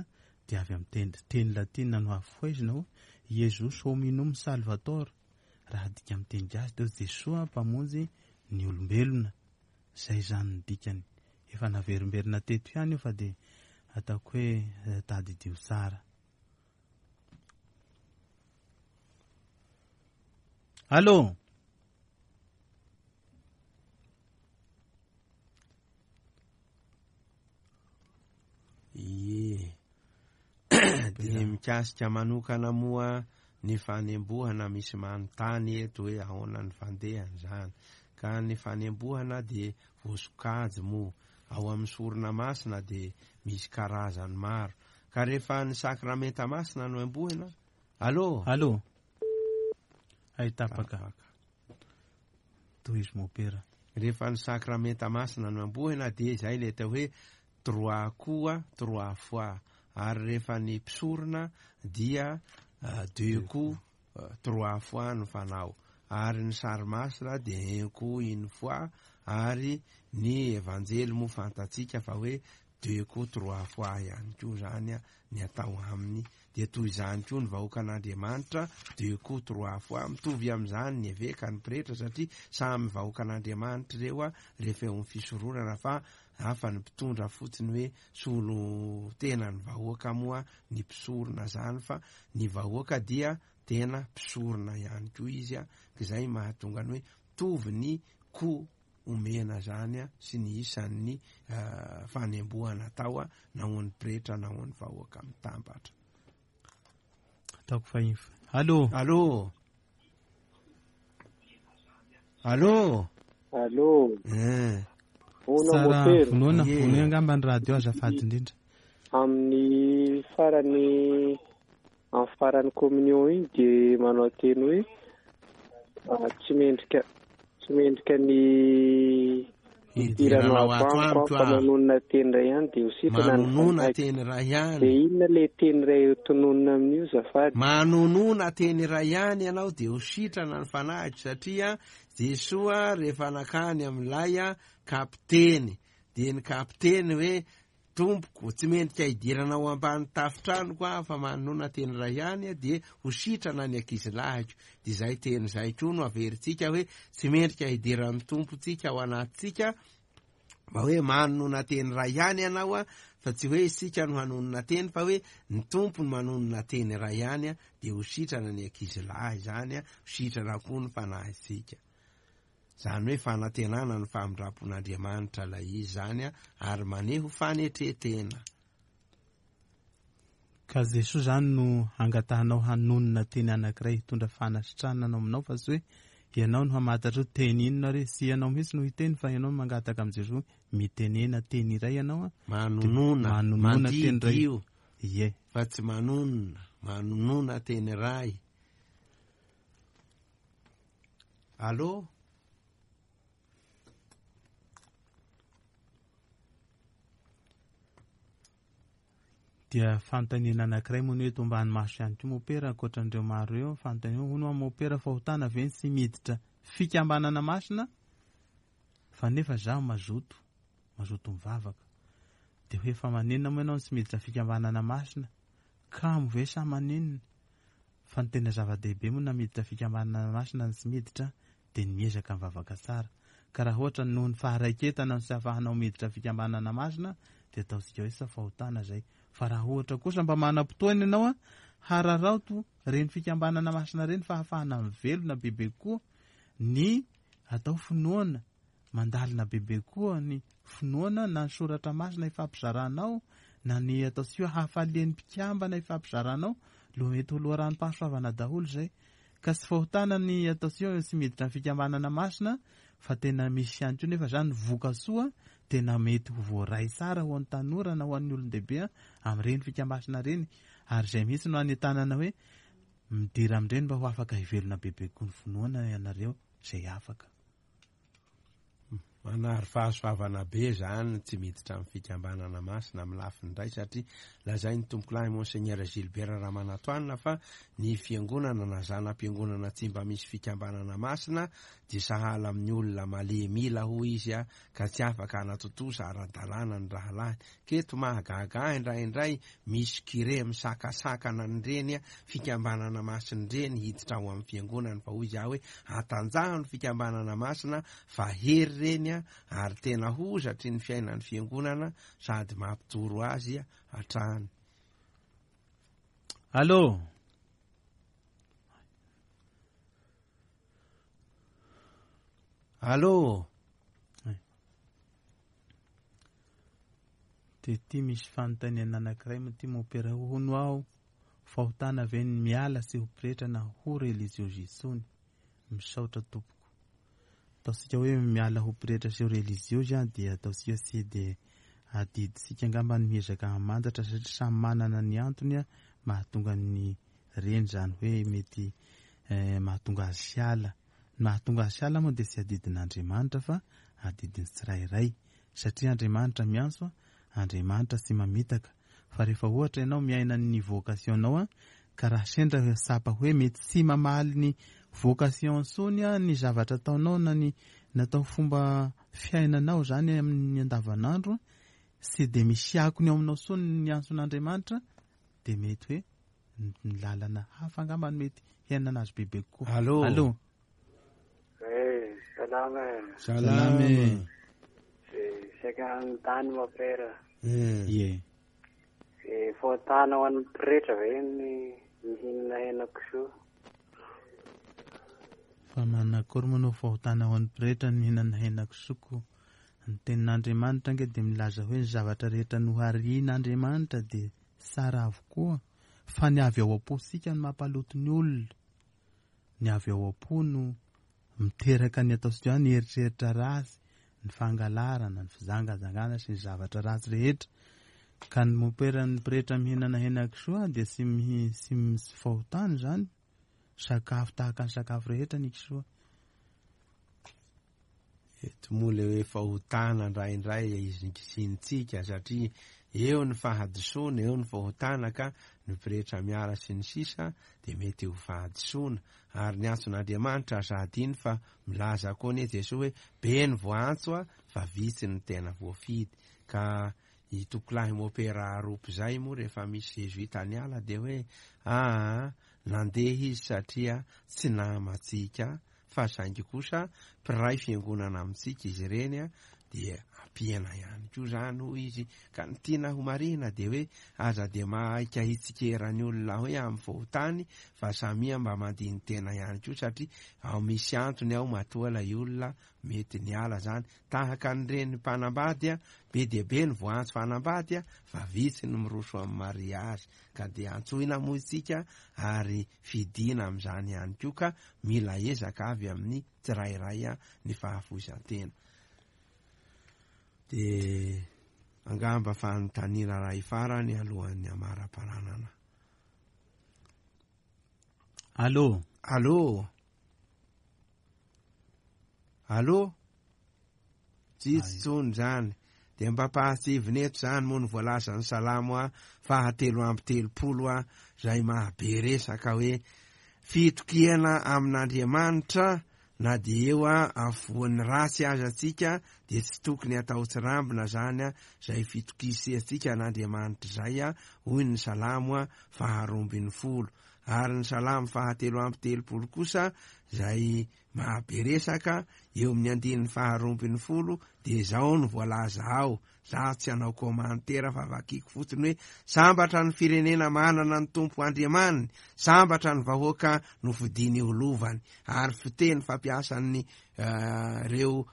dia avy amin'ny teny teny latina no hafohezina ho Jesus hominum salvator raha adika amin'ny teny gasy dia hoe Jesoa mpamonjy ny olombelona izay izany ny dikany efa naverimberina teto ihany io fa dia ataoko hoe tadidio tsara. Allô? Ie. Dia mikasika manokana moa ny fanembohana misy manontany eto hoe ahoana ny fandehany izany. Ka ny fanembohana dia voasokajy moa. Ao amin'ny sorona masina dia misy karazany maro. Ka rehefa ny sakramenta masina no embohina, Allô? Allô? Hay tapaka. Tohizo mopera. Rehefa ny sakramenta masina no embohina dia izay ilay atao hoe trois coups, trois fois. Ary rehefa ny mpisorona dia deux coups, trois fois no fanao. Ary ny sary masina dia un coup, une fois. Ary ny evanjely moa fantatsika fa hoe deux coups, trois fois ihany koa izany ny atao aminy. Dia toy izany koa ny vahoakan'Andriamanitra, deux coups, trois fois. Mitovy amin'izany ny eveka, ny pretra, satria samy vahoakan'Andriamanitra ireo rehefa eo amin'ny fisoronana fa hafa ny mpitondra fotsiny hoe solo tena ny vahoaka moa ny mpisorona izany fa ny vahoaka dia tena mpisorona ihany koa izy, ka izay mahatonga ny hoe mitovy ny coup omena izany sy ny isan'ny fanembohana atao na ho an'ny pretra na ho an'ny vahoaka mitambatra. Ataoko fa inf. Allô? Allô? Allô? Allô? Eh. Vono Tsara motera. vonoana, Ie. vonoina angamba ny radio azafady indrindra. Amin'ny farany amin'ny faran'ny communion iny dia manao teny hoe tsy mendrika tsy mendrika ny Hidiranao ato amiko amiko fa aho. manonona teny iray ihany dia ho sitrana ny Manonona fanahiko. teny iray ihany. Dia inona ilay teny iray ho tononina amin'io zafady? Manonona teny iray ihany ianao dia ho sitrana ny fanahiko satria Jesoa rehefa nakany amin'ilay kapiteny dia ny kapiteny hoe Tompoko, tsy mendrika hidirana ao ambany tafon-tranoko aho fa manonona teny iray ihany dia ho sitrana ny ankizilahiko. Dia izay teny izay koa no averintsika hoe tsy mendrika hidiran'ny Tompontsika ao anatintsika mba hoe manonona teny iray ihany ianao fa tsy hoe isika no hanonona teny fa hoe ny Tompo no manonona teny iray ihany dia ho sitrana ny ankizilahy izany, ho sitrana koa ny fanahintsika. Izany hoe fanantenana ny famindram-pon'Andriamanitra ilay izy izany ary maneho fanetren-tena. Ka Jesoa izany no angatahanao hanonona teny anankiray hitondra fanasitranana ao aminao fa tsy hoe ianao no hamantatra hoe teny inona ary tsy ianao mihitsy no hiteny fa ianao no mangataka amin'i Jesoa hoe mitenena teny iray ianao an, Manonona, manonona teny mandidy iray. io Ie. fa tsy manonona, manonona teny iray. Allô? Dia fanontaniana anankiray moa ny hoe eto ambany maso ihany koa mopera ankoatran'ireo maro ireo, fanontaniana hono hoa mopera fahotana ve ny tsy miditra fikambanana masina fa nefa zaho mazoto, mazoto mivavaka. Dia hoe fa maninona moa ianao no tsy miditra fikambanana masina? Kamo ve sa maninona? Fa ny tena zava-dehibe moa na miditra fikambanana masina na tsy miditra dia ny miezaka mivavaka tsara. Ka raha ohatra noho ny faharaiketana no tsy ahafahanao miditra fikambanana masina dia ataontsika hoe tsy fahotana izay. Fa raha ohatra kosa mba manam-potoana ianao an, hararaoto ireny fikambanana masina ireny fa ahafahana mivelona bebe kokoa ny atao finoana, mandalina bebe kokoa ny finoana na ny soratra masina ifampizaranao na ny ataontsika hoe hafalian'ny mpikambana ifampizaranao, lo mety ho loharanom-pahasoavana daholo izay. Ka tsy fahotana ny ataontsika hoe tsy miditra ny fikambanana masina fa tena misy ihany koa nefa zany vokasoa tena mety ho voaray tsara ho an'ny tanora na ho an'ny olon-dehibe amin'ireny fikambanana ireny ary izay mihitsy no anentanana hoe midira amin'ireny mba ho afaka hivelona bebe kokoa ny finoana ianareo izay afaka. Manary fahasoavana be zany tsy miditra amin'ny fikambanana masina amin'ny lafiny iray satria lazain'ny tompokolahy Monseigneur Gilbert Ramanantoanina fa ny fiangonana na zana-piangonana tsy mba misy fikambanana masina dia sahala amin'ny olona malemy ila hoy izy ka tsy afaka hanatontosa ara-dalàna ny rahalahiny. K'eto mahagaga ahy indraindray misy curé misakasakana an'ireny fikambanana masina ireny hiditra ao amin'ny fiangonany fa hoy izaho hoe atanjaho ny fikambanana masina fa hery ireny ary tena hozatry ny fiainan'ny fiangonana sady mampijoro azy hatrany. Allô? Allô? Dia ity misy fanontaniana anankiray moa ity mompera hono aho fahotana ve ny miala sy ho pretra na ho reliziozy intsony? Misaotra tompoko. Ataontsika hoe miala ho pretra sy ho reliziozy an dia ataontsika tsy dia adidintsika angamba ny miezaka hamantatra satria samy manana ny antony mahatonga ny reny izany hoe mety mahatonga azy hiala. Ny mahatonga azy hiala moa dia tsy adidin'Andriamanitra fa adidin'ny tsirairay satria Andriamanitra miantso, Andriamanitra tsy mamitaka. Fa rehefa ohatra ianao miaina ny vocation-nao ka raha sendra tsapa hoe mety tsy mamaly ny vocation intsony ny zavatra ataonao na ny natao fomba fiainanao izany amin'ny andavanandro, tsy dia misy akony ao aminao intsony ny antson'Andriamanitra dia mety hoe ny lalana hafa angamba no mety hiainana azy bebe kokoa. Allô. Allô. Eh, salama e. Salama e. Eh, saika hanontany mon père. Eh. Ie. Eh, fahotana ho an'ny pretra ve ny mihinana hena kisoa? Fa manakory moa no fahotana ho an'ny pretra ny mihinana hena kisoa ko? Ny tenin'Andriamanitra ange dia milaza hoe ny zavatra rehetra noharian'Andriamanitra dia tsara avokoa fa ny avy ao am-pontsika no mampaloto ny olona. Ny avy ao am-po no miteraka ny ataontsika hoe ny eritreritra ratsy, ny fangalarana, ny fijangajangana sy ny zavatra ratsy rehetra. Ka ny momperan'ny pretra mihinana henakisoa dia tsy tsy misy fahotana izany. Sakafo tahaka ny sakafo rehetra ny kisoa. Eto moa le hoe fahotana indraindray izingizinintsika satria eo ny fahadisoana, eo ny fahotana ka ny pretra miala sy ny sisa dia mety ho fahadisoana. Ary ny antson'Andriamanitra aza adino fa milaza koa anie Jesoa hoe be ny voaantso fa vitsy ny tena voafidy. Ka i Tokolahy Mopera Aropy izay moa rehefa misy Zezoita niala dia hoe aa nandeha izy satria tsy namantsika fa saingy kosa mpiray fiangonana amintsika izy ireny dia ampiana ihany koa izany hoy izy. Ka ny tiana ho marihina dia hoe aza dia mahaika hitsikera ny olona hoe amin'ny fahotany fa samia mba mandini-tena ihany koa satria ao misy antony ao matoa ilay olona mety niala izany. Tahaka an'ireny mpanambady be dia be ny voaantso hanambady fa vitsy ny miroso amin'ny mariazy ka dia antsoina moa isika ary fidiana amin'izany ihany koa ka mila ezaka avy amin'ny tsirairay ny fahafoizan-tena. Dia angamba fanontaniana iray farany alohan'ny hamaraparanana. Allô? Allô? Allô? Tsy hisy intsony izany. Dia mba ampahatsiahivina eto izany moa ny voalazan'ny Salamo faha 33 izay mahabe resaka hoe fitokiana amin'Andriamanitra na dia eo afovoan'ny ratsy aza tsika dia tsy tokony atao tsirambina izany izay fitokisiantsika an'Andriamanitra izay hoy ny Salamo faha 12. Ary ny Salamo fahatelo amby telopolo kosa izay mahabe resaka eo amin'ny andininy faharoambinifolo dia izao no voalaza ao, za tsy hanao commentaire fa vakiko fotsiny hoe sambatra ny firenena manana ny Tompo Andriamaniny, sambatra ny vahoaka nofidiny ho lovany. Ary fiteny fampiasan'ny ireo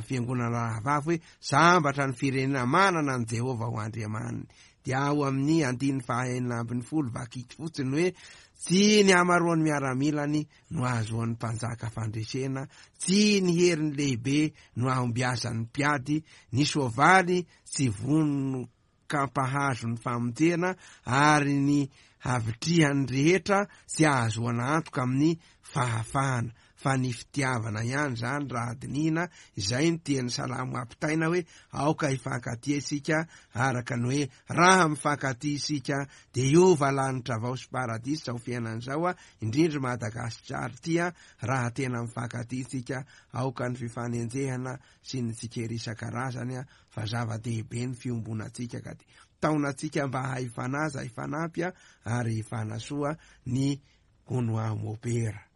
fiangonana rahavavy hoe sambatra ny firenena manana an'i Jehovah ho Andriamaniny. Dia ao amin'ny andininy faha-16 vakiko fotsiny hoe tsy ny hamaroan'ny miaramilany no ahazoan'ny mpanjaka fandresena, tsy ny heriny lehibe no ahombiazan'ny mpiady, ny soavaly tsy vonon-kampahazo ny famonjena, ary ny havitrihan'ny rehetra tsy ahazoana antoka amin'ny fahafahana. Fa ny fitiavana ihany izany raha dinihina, izay no tian'ny Salamo hampitaina hoe aoka hifankatia isika, araka ny hoe raha mifankatia isika dia hiova lanitra vao sy paradisa izao fiainana izao, indrindra Madagasikara ity, raha tena mifankatia isika, aoka ny fifanenjehana sy ny tsikera isan-karazany fa zava-dehibe ny fiombonantsika ka dia taonantsika mba hahay hifanaja, hifanampy ary hifanasoa ny hono aho mopera.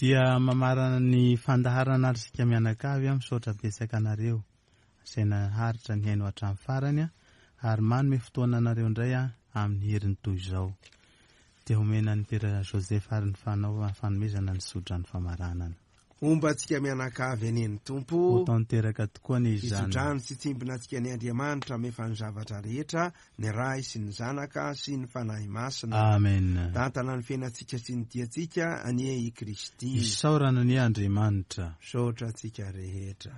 Dia mamarana ny fandaharana ary isika mianakavy a, misaotra betsaka anareo izay naharitra nihaino hatramin'ny farany a, ary manome fotoana anareo indray a amin'ny heriny toy izao. Dia homena an'i Père Joseph ary ny fanao fanomezana ny sodrano famaranana. Homba antsika mianakavy anie ny Tompo. Ho tanteraka tokoa anie izany. Hitsodrano sy hitsimbina antsika anie Andriamanitra hamefa ny zavatra rehetra, ny Ray sy ny Zanaka sy ny Fanahy Masina. Amen. Tantana ny fiainantsika sy ny diantsika anie i Kristy. Isaorana anie Andriamanitra. Misaotra antsika rehetra.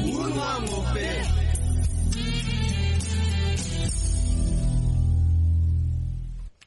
Hono aho mopera.